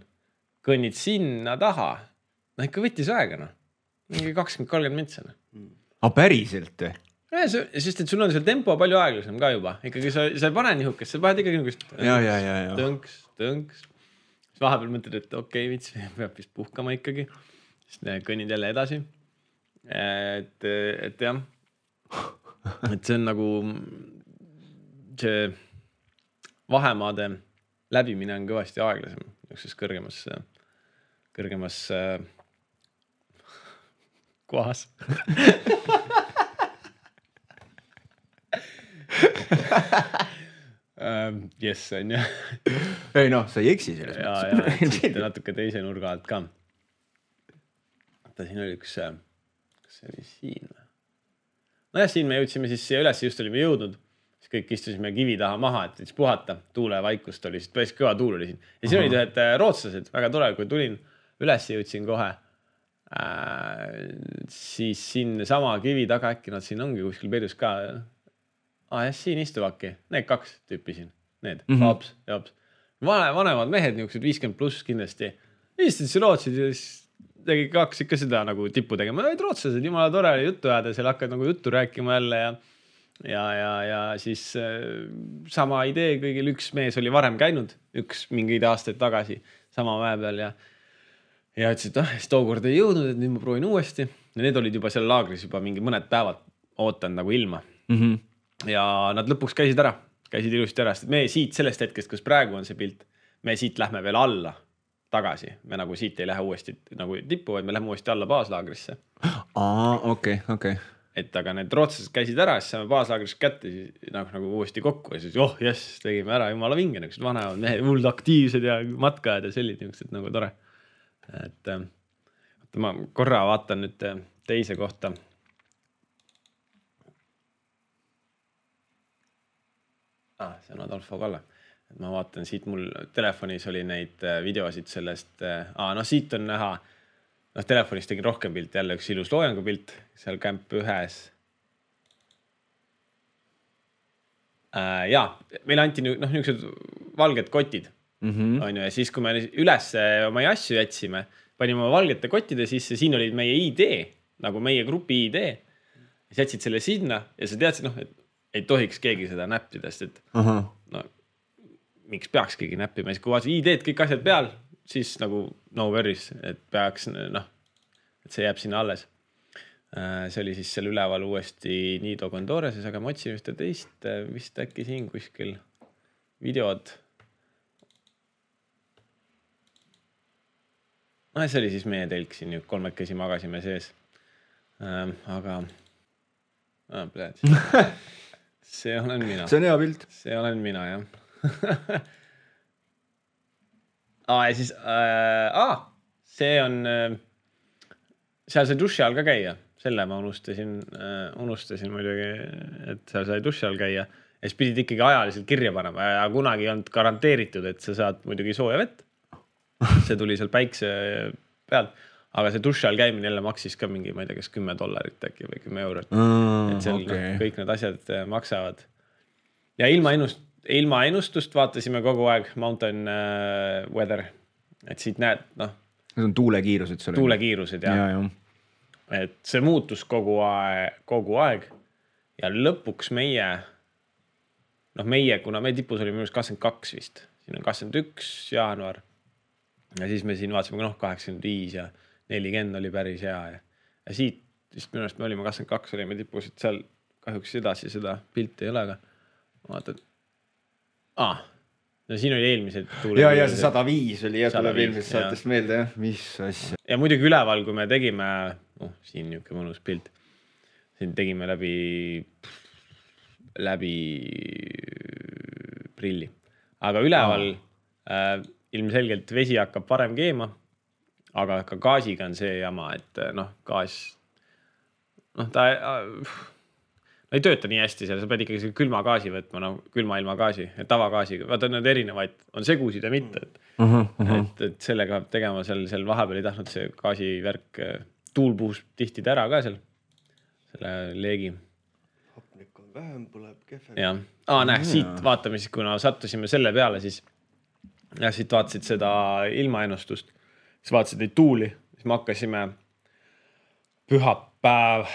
kõnnid sinna taha, no ikka võttis aega, no. Mingi kakskümmend kolmkümmend mintsa. A päriselt? Ja, sest et sul on seal tempo palju aeglasem ka juba. Ikkagi sa, sa ei pane nihukest, sa paned ikkagi nihukest ja, ja, ja, ja. tõnks, tõnks. Siis vahepeal mõtled, et okei, okay, vits, peab vist puhkama ikkagi. Siis kõnnid jälle edasi. Et, et jah, et see on nagu see vahemaade läbimine on kõvasti aeglasem niisuguses kõrgemas, kõrgemas kohas. um, yes, on jah. Ei noh, sa ei eksi selles. Ja, ja, siit natuke teise nurga alt ka. Ta siin oli üks, kas see oli siin? No jah, siin me jõudsime siis siia üles, just olime jõudnud. Siis kõik istusime kivi taha maha, et siis puhata. Tuule vaikust oli, siis päris kõva tuul oli siin. Ja siin olid ühed rootslased, väga tore, kui tulin üles jõudsin kohe. Äh, siis siin sama kivi taga äkki nad siin ongi kuskil peidus ka. Ah, jah, siin istuvadki. Need kaks tüüpi siin. Need, mm-hmm. Paps ja Paps. Vanemad mehed, niisugused viiskümmend pluss kindlasti. Istusid siin rootsid ja siis tegi kaks ikka seda nagu tippu tegema. Need rootslased, jumala tore oli juttu ajada, seal hakkad nagu juttu rääkima jälle ja Ja, ja, ja siis äh, sama idee kõigil, üks mees oli varem käinud, üks mingeid aastaid tagasi sama mäe peal ja, ja ütles, et ah, siis tookord ei jõudnud, et nüüd ma proovin uuesti. Ja need olid juba seal laagris juba mingi mõned päevad ootanud nagu ilma. Mm-hmm. Ja nad lõpuks käisid ära, käisid ilusti ära, sest me siit sellest hetkest, kus praegu on see pilt, me siit lähme veel alla tagasi. Me nagu siit ei lähe uuesti nagu tippu, vaid me lähme uuesti alla baaslaagrisse. Aa, okei, okay, okei. Okay. Et aga need rootslased käisid ära, siis saame baaslaagrist kätte siis, nagu, nagu uuesti kokku ja siis oh jess, tegime ära jumala vinge, niisugused vanemad mehed, hullud aktiivsed ja matkajad ja sellid niisugused nagu tore. Et ma korra vaatan nüüd teise kohta. Ah, see on Adolfo Kalle. Et ma vaatan siit, mul telefonis oli neid videosid sellest, ah, no siit on näha. Noh, telefonis tegin rohkem pilt, jälle üks ilus loojangu pilt, seal Camp ühes. Äh, jaa, meil anti noh, niisugused valged kotid. Mm-hmm. On ju, ja siis, kui me üles oma asju jätsime, panime oma valgete kottide sisse, siin oli meie I D, nagu meie grupi I D. Ja jätsid selle sinna ja sa teadsid, noh, et ei tohiks keegi seda näppidest, et uh-huh. no, miks peaks keegi näppima. Kui vaatad I D-d kõik asjad peal, siis nagu no worries, et peaks, noh, et see jääb sinna alles. See oli siis seal üleval uuesti Nido Condoreses, aga ma otsin ühte teist, vist äkki siin kuskil videod. No, see oli siis meie telk siin, kolmekesi magasime sees. Aga, ah, pläed. See olen mina. See on hea pilt. See olen mina, jah. Aa, ja siis, äh, ah, see on, äh, seal sai duši all ka käia. Selle ma unustasin, äh, unustasin muidugi, et seal sai duši all käia. Ja siis pidid ikkagi ajaliselt kirja panema ja kunagi ei olnud garanteeritud, et sa saad muidugi sooja vett. See tuli seal päikse pealt. Aga see duši all käimine jälle maksis ka mingi, ma ei tea, kas kümme dollarit äkki või kümme eurot. Mm, et seal okay. no, kõik need asjad maksavad. Ja ilma ennust ilma ennustust vaatasime kogu aeg mountain uh, weather, et siit näed, noh. Need on tuulekiirused. Tuulekiirused, jah. Ja, ja. Et see muutus kogu aeg, kogu aeg ja lõpuks meie, noh meie, kuna meie tipus oli minust kakskümmend kaks vist, siin on kakskümmend üks jaanuar ja siis me siin vaatasime, noh kaheksakümmend viis ja nelikümmend oli päris hea ja, ja siit vist minu arust me olime kakskümmend kaks, olime tipus, et seal kahjuks edasi seda pilti ei ole, aga vaatad, ah, no siin oli eelmised tuule. Ja, ja see sada viis oli ja tuleb eelmisest saatest meelde, jah, mis asja. Ja muidugi üleval, kui me tegime, noh, siin niuke mõnus pilt, siin tegime läbi, läbi prilli, aga üleval oh. äh, ilmselgelt vesi hakkab varem keema, aga ka gaasiga on see jama, et noh, gaas, noh, ta äh, no ei tööta nii hästi seal, sa pead ikkagi külma gaasi võtma, no külma ilma gaasi, tavagaasiga, vaata need erinevaid, on segusid ja mitte, et, uh -huh, uh -huh. et, et sellega tegema seal, seal vahepeal ei tahtnud see gaasivärk, tuul puhus tihtida ära ka seal, selle leegi. Hapnik on vähem, põleb kehvem. Ja, Aa, näe, siit vaatame siis, kuna sattusime selle peale, siis ja siit vaatasid seda ilmaennustust, siis vaatasid neid tuuli, siis me hakkasime pühapäev,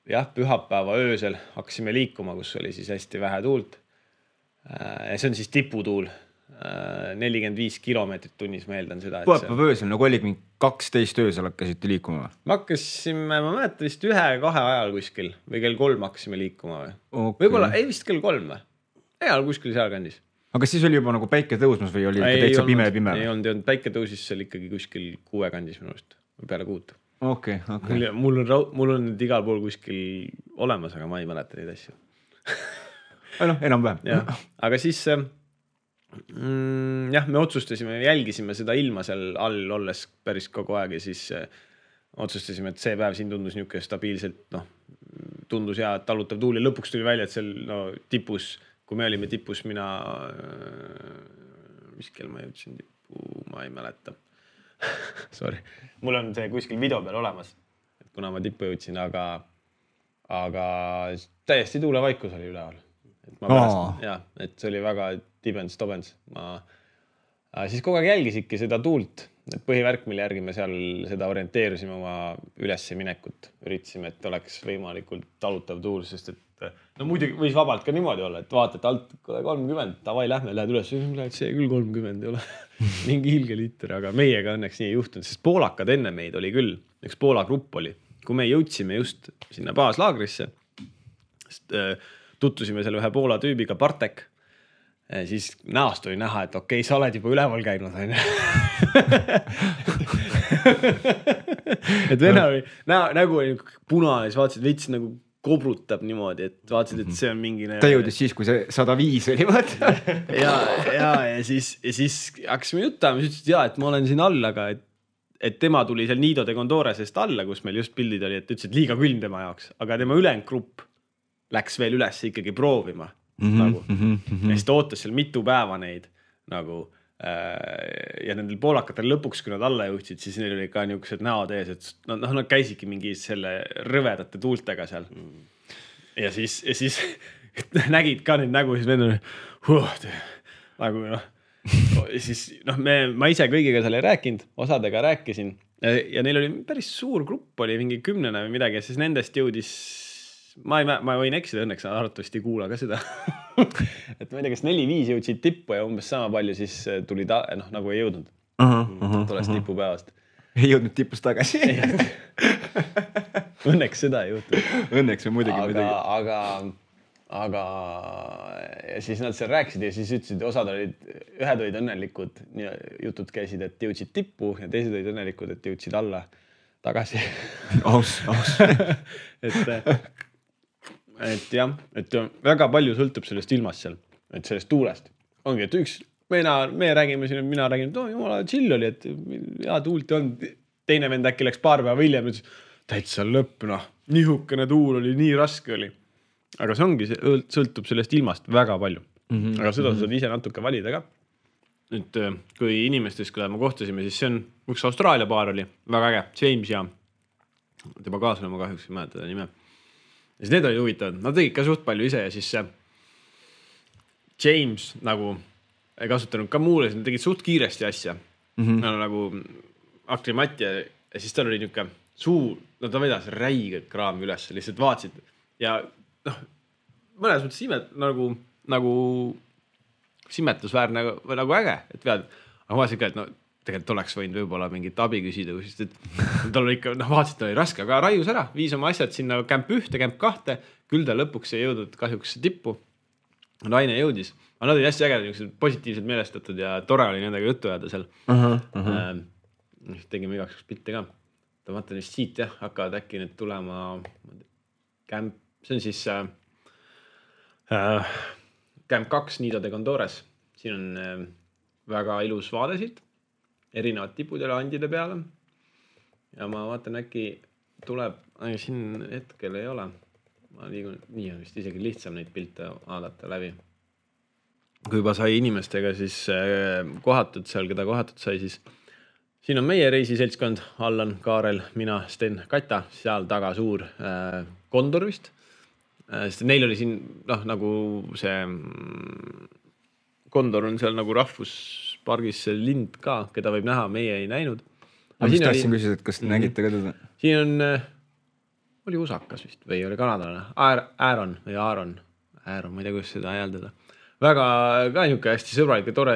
jah, pühapäeva öösel hakkasime liikuma, kus oli siis hästi vähe tuult. Ja see on siis tiputuul, nelikümmend viis kilomeetrit tunnis, ma eeldan seda. Pühapäeva öösel, nagu olid mingi kaksteist öösel hakkasite liikuma? Me hakkasime, ma mäletan vist ühe-kahe ajal kuskil või kell kolm hakkasime liikuma või? Okay. Võib-olla, ei vist kell kolm või? Ajal kuskil seal kandis. Aga siis oli juba nagu päike tõusmas või oli ei täitsa olnud, pime-pime? Ei olnud, ei olnud, päike tõusis seal ikkagi kuskil kuue kandis minust või peale kuut. Okay, okay. Mul, on, mul on nüüd igal pool kuskil olemas, aga ma ei mäleta neid asju. noh, enam-vähem. Ja, aga siis mm, jah, me otsustasime, jälgisime seda ilma seal all olles päris kogu aeg ja siis äh, otsustasime, et see päev siin tundus niuke stabiilselt, noh, tundus hea talutav tuul ja lõpuks tuli välja, et seal no, tipus, kui me olime tipus, mina, mis kell ma jõudsin tipu, ma ei mäleta. Sorry. Mul on see kuskil video peal olemas, et kuna ma tippu jõudsin, aga, aga täiesti tuulevaikus oli üleval. Et ma pärast, oh. ja, et see oli väga tibens, tobens. Ma siis kogu aeg jälgisidki seda tuult, et põhivärk, mille järgi me seal seda orienteerusime oma ülesse minekut. Üritasime, et oleks võimalikult talutav tuul, sest et no muidugi võis vabalt ka niimoodi olla, et vaatad alt kolmkümmend, tavai lähme, lähed üles, see küll kolmkümmend ei ole mingi ilge liiter, aga meiega õnneks nii ei juhtunud, sest poolakad enne meid oli küll, üks Poola grupp oli, kui me jõudsime just sinna baaslaagrisse, sest, äh, tuttusime seal ühe Poola tüübiga, Bartek, siis näost oli näha, et okei, sa oled juba üleval käinud, on ju. et venna oli, nägu oli punane, siis vaatasid veits nagu kobrutab niimoodi, et vaatasid, et see on mingi... Ta jõudis siis, kui see sada viis oli, vaata. ja, ja, ja siis, ja siis hakkasime jutama, siis ütlesid, ja, et ma olen siin all, aga et, et tema tuli seal Nido de Condoresest alla, kus meil just pildid oli, et ütlesid liiga külm tema jaoks, aga tema ülejäänud grupp läks veel üles ikkagi proovima. Mm -hmm, nagu. mm -hmm. Ja siis ta ootas seal mitu päeva neid nagu, äh, ja nendel poolakatel lõpuks, kui nad alla jõudsid, siis neil oli ka niisugused näod ees, et no, no, nad käisidki mingi selle rõvedate tuultega seal. Mm. Ja siis, ja siis nägid ka neid nägu, siis vend oli huh, nagu noh, siis noh, me, ma ise kõigiga seal ei rääkinud, osadega rääkisin ja, ja neil oli päris suur grupp, oli mingi kümnene või midagi ja siis nendest jõudis Ma, ei, ma võin eksida, õnneks arvatavasti ei kuula ka seda. et ma ei tea, kas neli-viis jõudsid tippu ja umbes sama palju siis tuli ta, noh, nagu ei jõudnud. Uh -huh, uh -huh, Tulles uh -huh. tipupäevast. Ei jõudnud tipust tagasi. Õnneks seda ei juhtunud. Õnneks on muidugi aga, muidugi. Aga, aga ja siis nad seal rääkisid ja siis ütlesid, osad olid, ühed olid õnnelikud, jutud käisid, et jõudsid tippu ja teised olid õnnelikud, et jõudsid alla tagasi. aus, aus. et et jah, et väga palju sõltub sellest ilmast seal, et sellest tuulest. Ongi, et üks, mina, me räägime siin, mina räägin, et oh, jumala chill oli, et hea tuult on. Teine vend äkki läks paar päeva hiljem, ütles, täitsa lõpp, noh, nihukene tuul oli, nii raske oli. Aga see ongi, see sõltub sellest ilmast väga palju. Mm -hmm. Aga seda saad ise natuke valida ka. Nüüd, kui inimestest, kui me kohtusime, siis see on, üks Austraalia paar oli, väga äge, James ja tema kaaslane, ma kahjuks ei mäleta nime. Ja siis need olid huvitavad, nad tegid ka suht palju ise ja siis see, James nagu ei kasutanud ka muule, nad tegid suht kiiresti asja mm-hmm. no, nagu aklimat ja, ja siis tal oli niuke suur, no ta vedas räigelt kraami üles, lihtsalt vaatsid ja noh, mõnes mõttes imet, nagu, nagu simetlusväärne või nagu äge, et vead, aga ma vaatasin ka, et no tegelikult oleks võinud võib-olla mingit abi küsida, sest et tal oli ikka, noh vaatasid, ta oli raske, aga raius ära, viis oma asjad sinna kämp ühte, kämp kahte, küll ta lõpuks ei jõudnud kahjuks tippu. Naine jõudis, aga nad olid hästi ägedad, positiivselt meelestatud ja tore oli nendega juttu jääda seal. Uh-huh, uh-huh. Äh, tegime igaks pilte ka. Ta vaatan vist siit jah, hakkavad äkki nüüd tulema kämp, see on siis äh, äh, kämp kaks Nido de Condores. Siin on äh, väga ilus vaade siit, erinevad tipud ja andide peale. Ja ma vaatan äkki tuleb, aga siin hetkel ei ole. Ma liigun, nii on vist isegi lihtsam neid pilte vaadata läbi. Kui juba sai inimestega siis äh, kohatud seal, keda kohatud sai, siis siin on meie reisiseltskond, Allan, Kaarel, mina, Sten, Kata, seal taga suur äh, kondor vist. Äh, sest neil oli siin, noh, nagu see kondor on seal nagu rahvuspargis see lind ka, keda võib näha, meie ei näinud. Aga mis tahtsin küsida, et kas te mm-hmm. nägite ka teda? Siin on, äh, oli usakas vist või oli kanadalane, Aaron või Aaron, Aaron, ma ei tea, kuidas seda hääldada. Väga ka niuke hästi sõbralik ja tore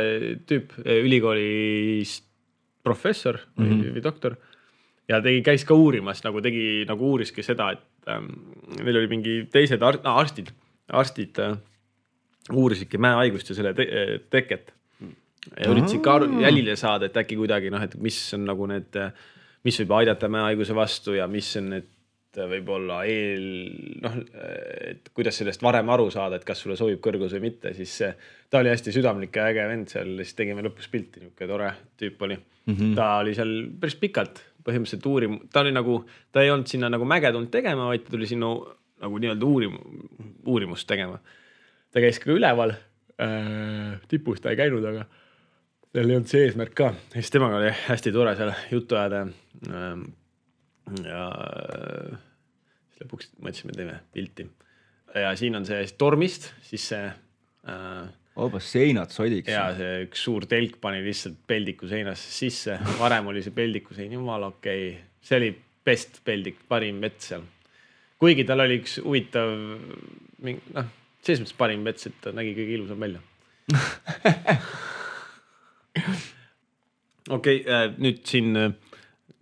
tüüp, ülikoolis professor mm-hmm. või, või doktor ja tegi, käis ka uurimas, nagu tegi, nagu uuriski seda, et ähm, meil oli mingi teised ar- no, arstid, arstid äh, uurisidki mäehaigust ja selle te- teket ja üritasid ka jälile saada, et äkki kuidagi, noh, et mis on nagu need, mis võib aidata mäehaiguse vastu ja mis on need võib-olla eel, noh, et kuidas sellest varem aru saada, et kas sulle sobib kõrgus või mitte, siis ta oli hästi südamlik ja äge vend seal, siis tegime lõpus pilti, niuke tore tüüp oli. Mm-hmm. Ta oli seal päris pikalt, põhimõtteliselt uurim, ta oli nagu, ta ei olnud sinna nagu mäge tulnud tegema, vaid ta tuli sinna nagu nii-öelda uurim, uurimust tegema. Ta käis ka üleval, äh, tipus ta ei käinud, aga tal ei olnud see eesmärk ka. Ja siis temaga oli hästi tore seal juttu ajada. Äh, ja siis lõpuks mõtlesime, teeme pilti ja siin on see tormist, siis see äh, Oobas seinad sodiks. Ja see üks suur telk pani lihtsalt peldiku seinasse sisse, varem oli see peldiku sein, jumal okei okay. See oli best peldik, parim mets seal, kuigi tal oli üks huvitav noh, selles mõttes parim mets, et ta nägi kõige ilusam välja. Okei okay, äh, nüüd siin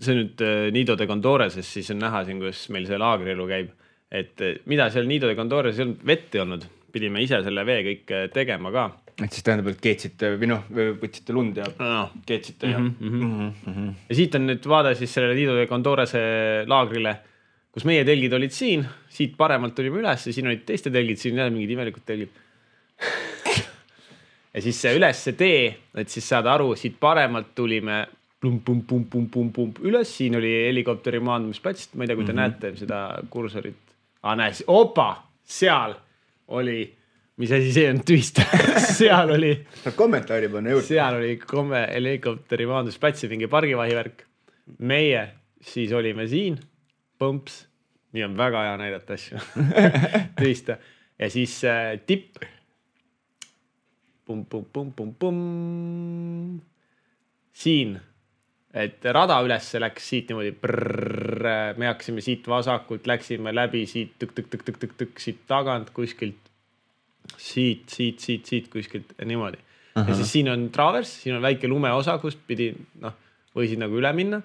see nüüd Nido de Condoreses, siis on näha siin, kus meil see laagrielu käib, et mida seal Nido de Condores ei olnud vett ei olnud, pidime ise selle vee kõik tegema ka. Et siis tähendab, et keetsite või noh, võtsite lund ja no. keetsite ja. Mm-hmm. Mm-hmm. Ja siit on nüüd vaade siis selle Nido de Condorese laagrile, kus meie telgid olid siin, siit paremalt tulime üles ja siin olid teiste telgid, siin jälle mingid imelikud telgid. Ja siis see üles see tee, et siis saada aru, siit paremalt tulime Pum, pum, pum, pum, pum, pum, üles, siin oli helikopteri maandumisplats, ma ei tea, kui te mm-hmm. näete seda kursorit. Ah, näes, opa, seal oli, mis asi see on tüist, seal oli. Kommentaari panna juurde. Seal oli komme helikopteri maandumisplats ja mingi pargivahivärk. Meie siis olime siin, põmps, nii on väga hea näidata asju, tüist. Ja siis äh, tipp, pum, pum, pum, pum, pum, siin. Et rada ülesse läks siit niimoodi brrr, me hakkasime siit vasakult, läksime läbi siit tük, tük, tük, tük, tük, tük, siit tagant kuskilt siit, siit, siit, siit kuskilt ja niimoodi. Aha. Ja siis siin on travers, siin on väike lumeosa, kust pidi, noh, võisid nagu üle minna.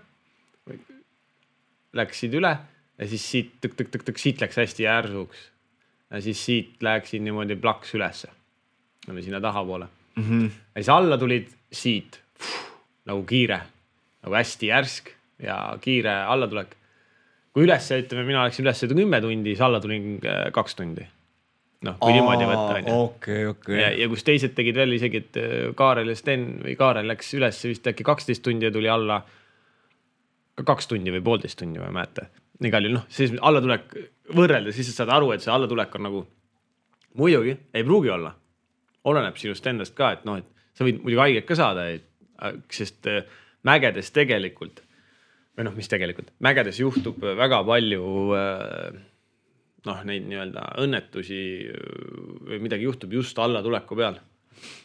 Läksid üle ja siis siit tük, tük, tük, tük, siit läks hästi järsuks. Ja siis siit läksid niimoodi plaks ülesse. Sinna taha poole. Mm-hmm. Ja siis alla tulid siit pff, nagu kiire. Nagu hästi järsk ja kiire allatulek. Kui üles, ütleme, mina läksin üles kümme tundi, siis alla tulin kaks tundi. Noh, kui niimoodi võtta. Okay, okay. Ja, ja kus teised tegid veel isegi, et Kaarel ja Sten või Kaarel läks üles vist äkki kaksteist tundi ja tuli alla ka kaks tundi või poolteist tundi või mäete. Nii kalli, noh, siis allatulek võrrelda, siis saad aru, et see allatulek on nagu muidugi, ei pruugi olla. Oleneb sinust endast ka, et noh, et sa võid muidugi haiget ka saada, et, sest mägedes tegelikult, või noh, mis tegelikult, mägedes juhtub väga palju äh, noh, neid nii-öelda õnnetusi või midagi juhtub just alla tuleku peal.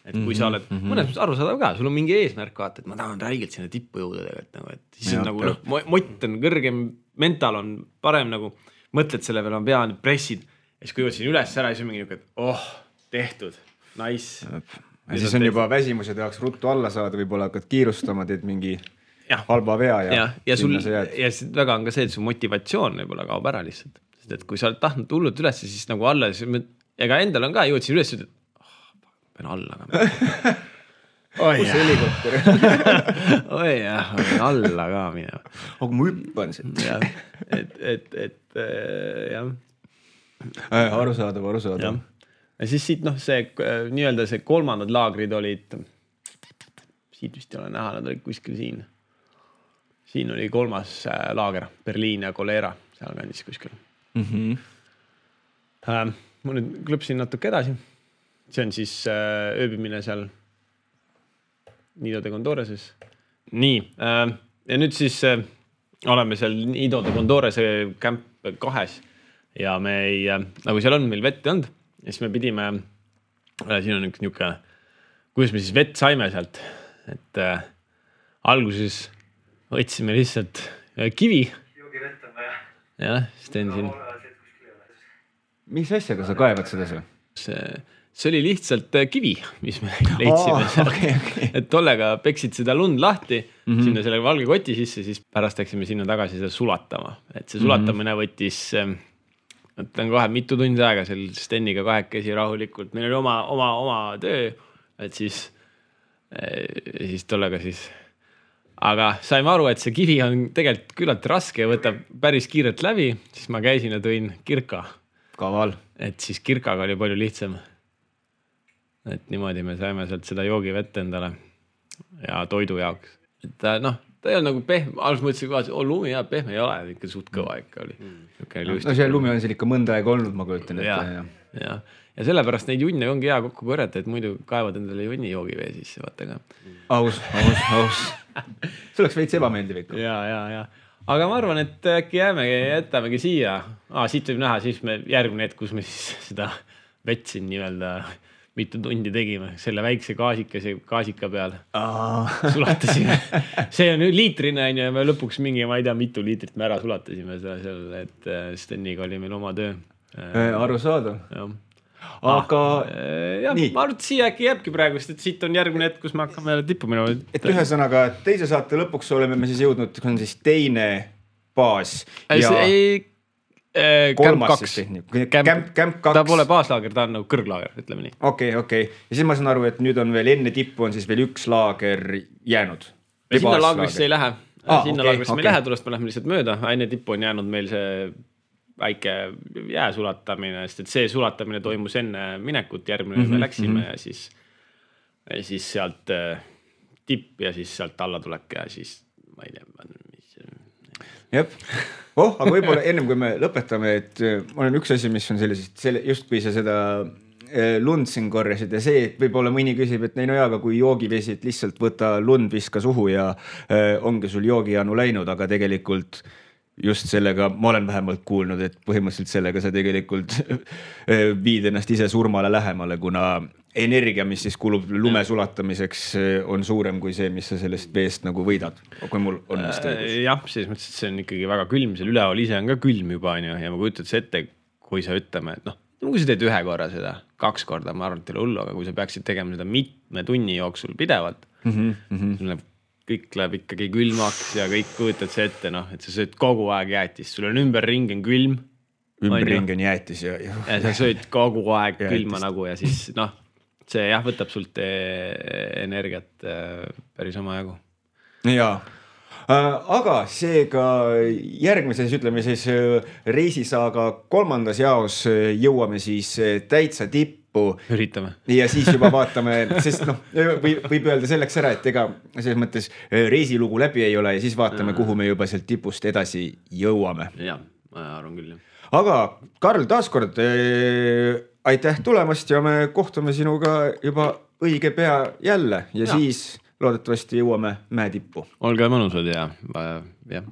Et kui sa oled mm-hmm. mõnes aru saada ka, sul on mingi eesmärk vaata, et ma tahan räigelt sinna tippu jõuda tegelikult nagu, et siis ja, on nagu noh, mott on kõrgem, mental on parem nagu, mõtled selle peale, ma pean pressid ja siis kui jõud siin üles ära, siis on mingi niuke, et oh, tehtud, nice. Ja siis on juba väsimus ja tahaks ruttu alla saada, võib-olla hakkad kiirustama, teed mingi ja. halba vea ja, ja, ja sul, ja siis väga on ka see, et su motivatsioon võib-olla kaob ära lihtsalt. Sest et kui sa oled tahtnud hullult üles, siis nagu alla, ega endal on ka, jõud siin üles, et alla ka. Oi jah. Oi jah, alla ka minema. Aga ma hüppan siit. Et, et, et jah. Aru saadav, aru saadav. Ja siis siit noh, see nii-öelda see kolmandad laagrid olid, siit vist ei ole näha, nad olid kuskil siin. Siin oli kolmas laager, Berliin ja Kolera, seal kandis kuskil. Mm-hmm. Äh, ma nüüd klõpsin natuke edasi. See on siis äh, ööbimine seal Nido de Condoreses. Nii, äh, ja nüüd siis äh, oleme seal Nido de Condorese kämp kahes ja me ei, äh, nagu seal on meil vett olnud, ja siis me pidime, äh, siin on üks niuke, kuidas me siis vett saime sealt, et äh, alguses võtsime lihtsalt äh, kivi. Joogi vett on vaja. Jah, siis teen siin. Mis asjaga sa kaevad seda see? See See oli lihtsalt kivi, mis me leidsime oh, okay, okay. Et tollega peksid seda lund lahti mm-hmm. sinna selle valge koti sisse, siis pärast läksime sinna tagasi seda sulatama. Et see sulatamine mm-hmm. võttis, võtan kohe mitu tundi aega seal Steniga kahekesi rahulikult. Meil oli oma, oma, oma töö, et siis, siis tollega siis. Aga saime aru, et see kivi on tegelikult küllalt raske ja võtab päris kiirelt läbi, siis ma käisin ja tõin kirka. Kaval. Et siis kirkaga oli palju lihtsam. Et niimoodi me saime sealt seda joogivett endale ja toidu jaoks. Et noh, ta ei ole nagu pehme, algus mõtlesin, et oh, lumi ja pehme ei ole, ikka suht kõva ikka oli. Mm. No see lumi on seal ikka mõnda aega olnud, ma kujutan. Ja, ja. Ja. ja sellepärast neid junne ongi hea kokku korjata, et muidu kaevad endale junni joogivee sisse, vaata ka. Aus, aus, aus. See oleks veits ebameeldiv ikka. Ja, ja, ja. Aga ma arvan, et äkki jäämegi, jätamegi siia. Ah, siit võib näha, siis me järgmine hetk, kus me siis seda vett siin nii-öelda mitu tundi tegime, selle väikse gaasika, gaasika peal sulatasime. See on liitrine ja me lõpuks mingi, ma ei tea, mitu liitrit me ära sulatasime seal, et Steniga oli meil oma töö. Aru saada. Jah. Aga ah, jah, ma arvan, et siia äkki jääbki praegu, sest et siit on järgmine hetk, kus me hakkame tippu minema. Et ühesõnaga, teise saate lõpuks oleme me siis jõudnud, on siis teine baas. Ja... Ei, Camp kaks. Camp kaks. Ta pole baaslaager, ta on nagu kõrglaager, ütleme nii. Okei, okay, okei. Okay. Ja siis ma saan aru, et nüüd on veel enne tippu on siis veel üks laager jäänud. Ja sinna laagrisse ei lähe. Ah, sinna okay, laagrisse okay. me ei lähe, tulest me lähme lihtsalt mööda. Enne tippu on jäänud meil see väike jää sulatamine, sest et see sulatamine toimus enne minekut, järgmine mm-hmm, me läksime mm-hmm. ja siis, ja siis sealt tipp ja siis sealt alla tulek ja siis ma ei tea, Jep. Oh, aga võib-olla ennem kui me lõpetame, et ma olen üks asi, mis on sellisest, selle, just kui sa seda lund siin korjasid ja see, et võib-olla mõni küsib, et neil no jaaga, kui joogivesi, et lihtsalt võta lund, viska suhu ja äh, ongi sul joogijanu läinud, aga tegelikult just sellega, ma olen vähemalt kuulnud, et põhimõtteliselt sellega sa tegelikult viid ennast ise surmale lähemale, kuna energia, mis siis kulub lume sulatamiseks, on suurem kui see, mis sa sellest veest nagu võidad, kui mul on vist õigus. Jah, siis mõttes, et see on ikkagi väga külm, seal üleval ise on ka külm juba ja ma kujutad see ette, kui sa ütleme, et noh, kui sa teed ühe korra seda, kaks korda, ma arvan, et teile hullu, aga kui sa peaksid tegema seda mitme tunni jooksul pidevalt, mm-hmm, mm-hmm. sul läheb, kõik läheb ikkagi külmaks ja kõik kujutad see ette, noh, et sa sööd kogu aeg jäätis, sul on ümberring on külm. Ümberring on jäätis ja... ja sa sööd kogu aeg külma nagu ja siis noh, see jah, võtab sult energiat päris oma jagu. Jaa, aga seega järgmises, ütleme siis reisisaaga kolmandas jaos jõuame siis täitsa tippu. Üritame. Ja siis juba vaatame, sest noh, võib, võib öelda selleks ära, et ega selles mõttes reisilugu läbi ei ole ja siis vaatame, kuhu me juba sealt tipust edasi jõuame. Jah, ma arvan küll. Aga Karl, taaskord aitäh tulemast ja me kohtume sinuga juba õige pea jälle ja, ja. siis loodetavasti jõuame mäetippu. Olge mõnusad ja, ja.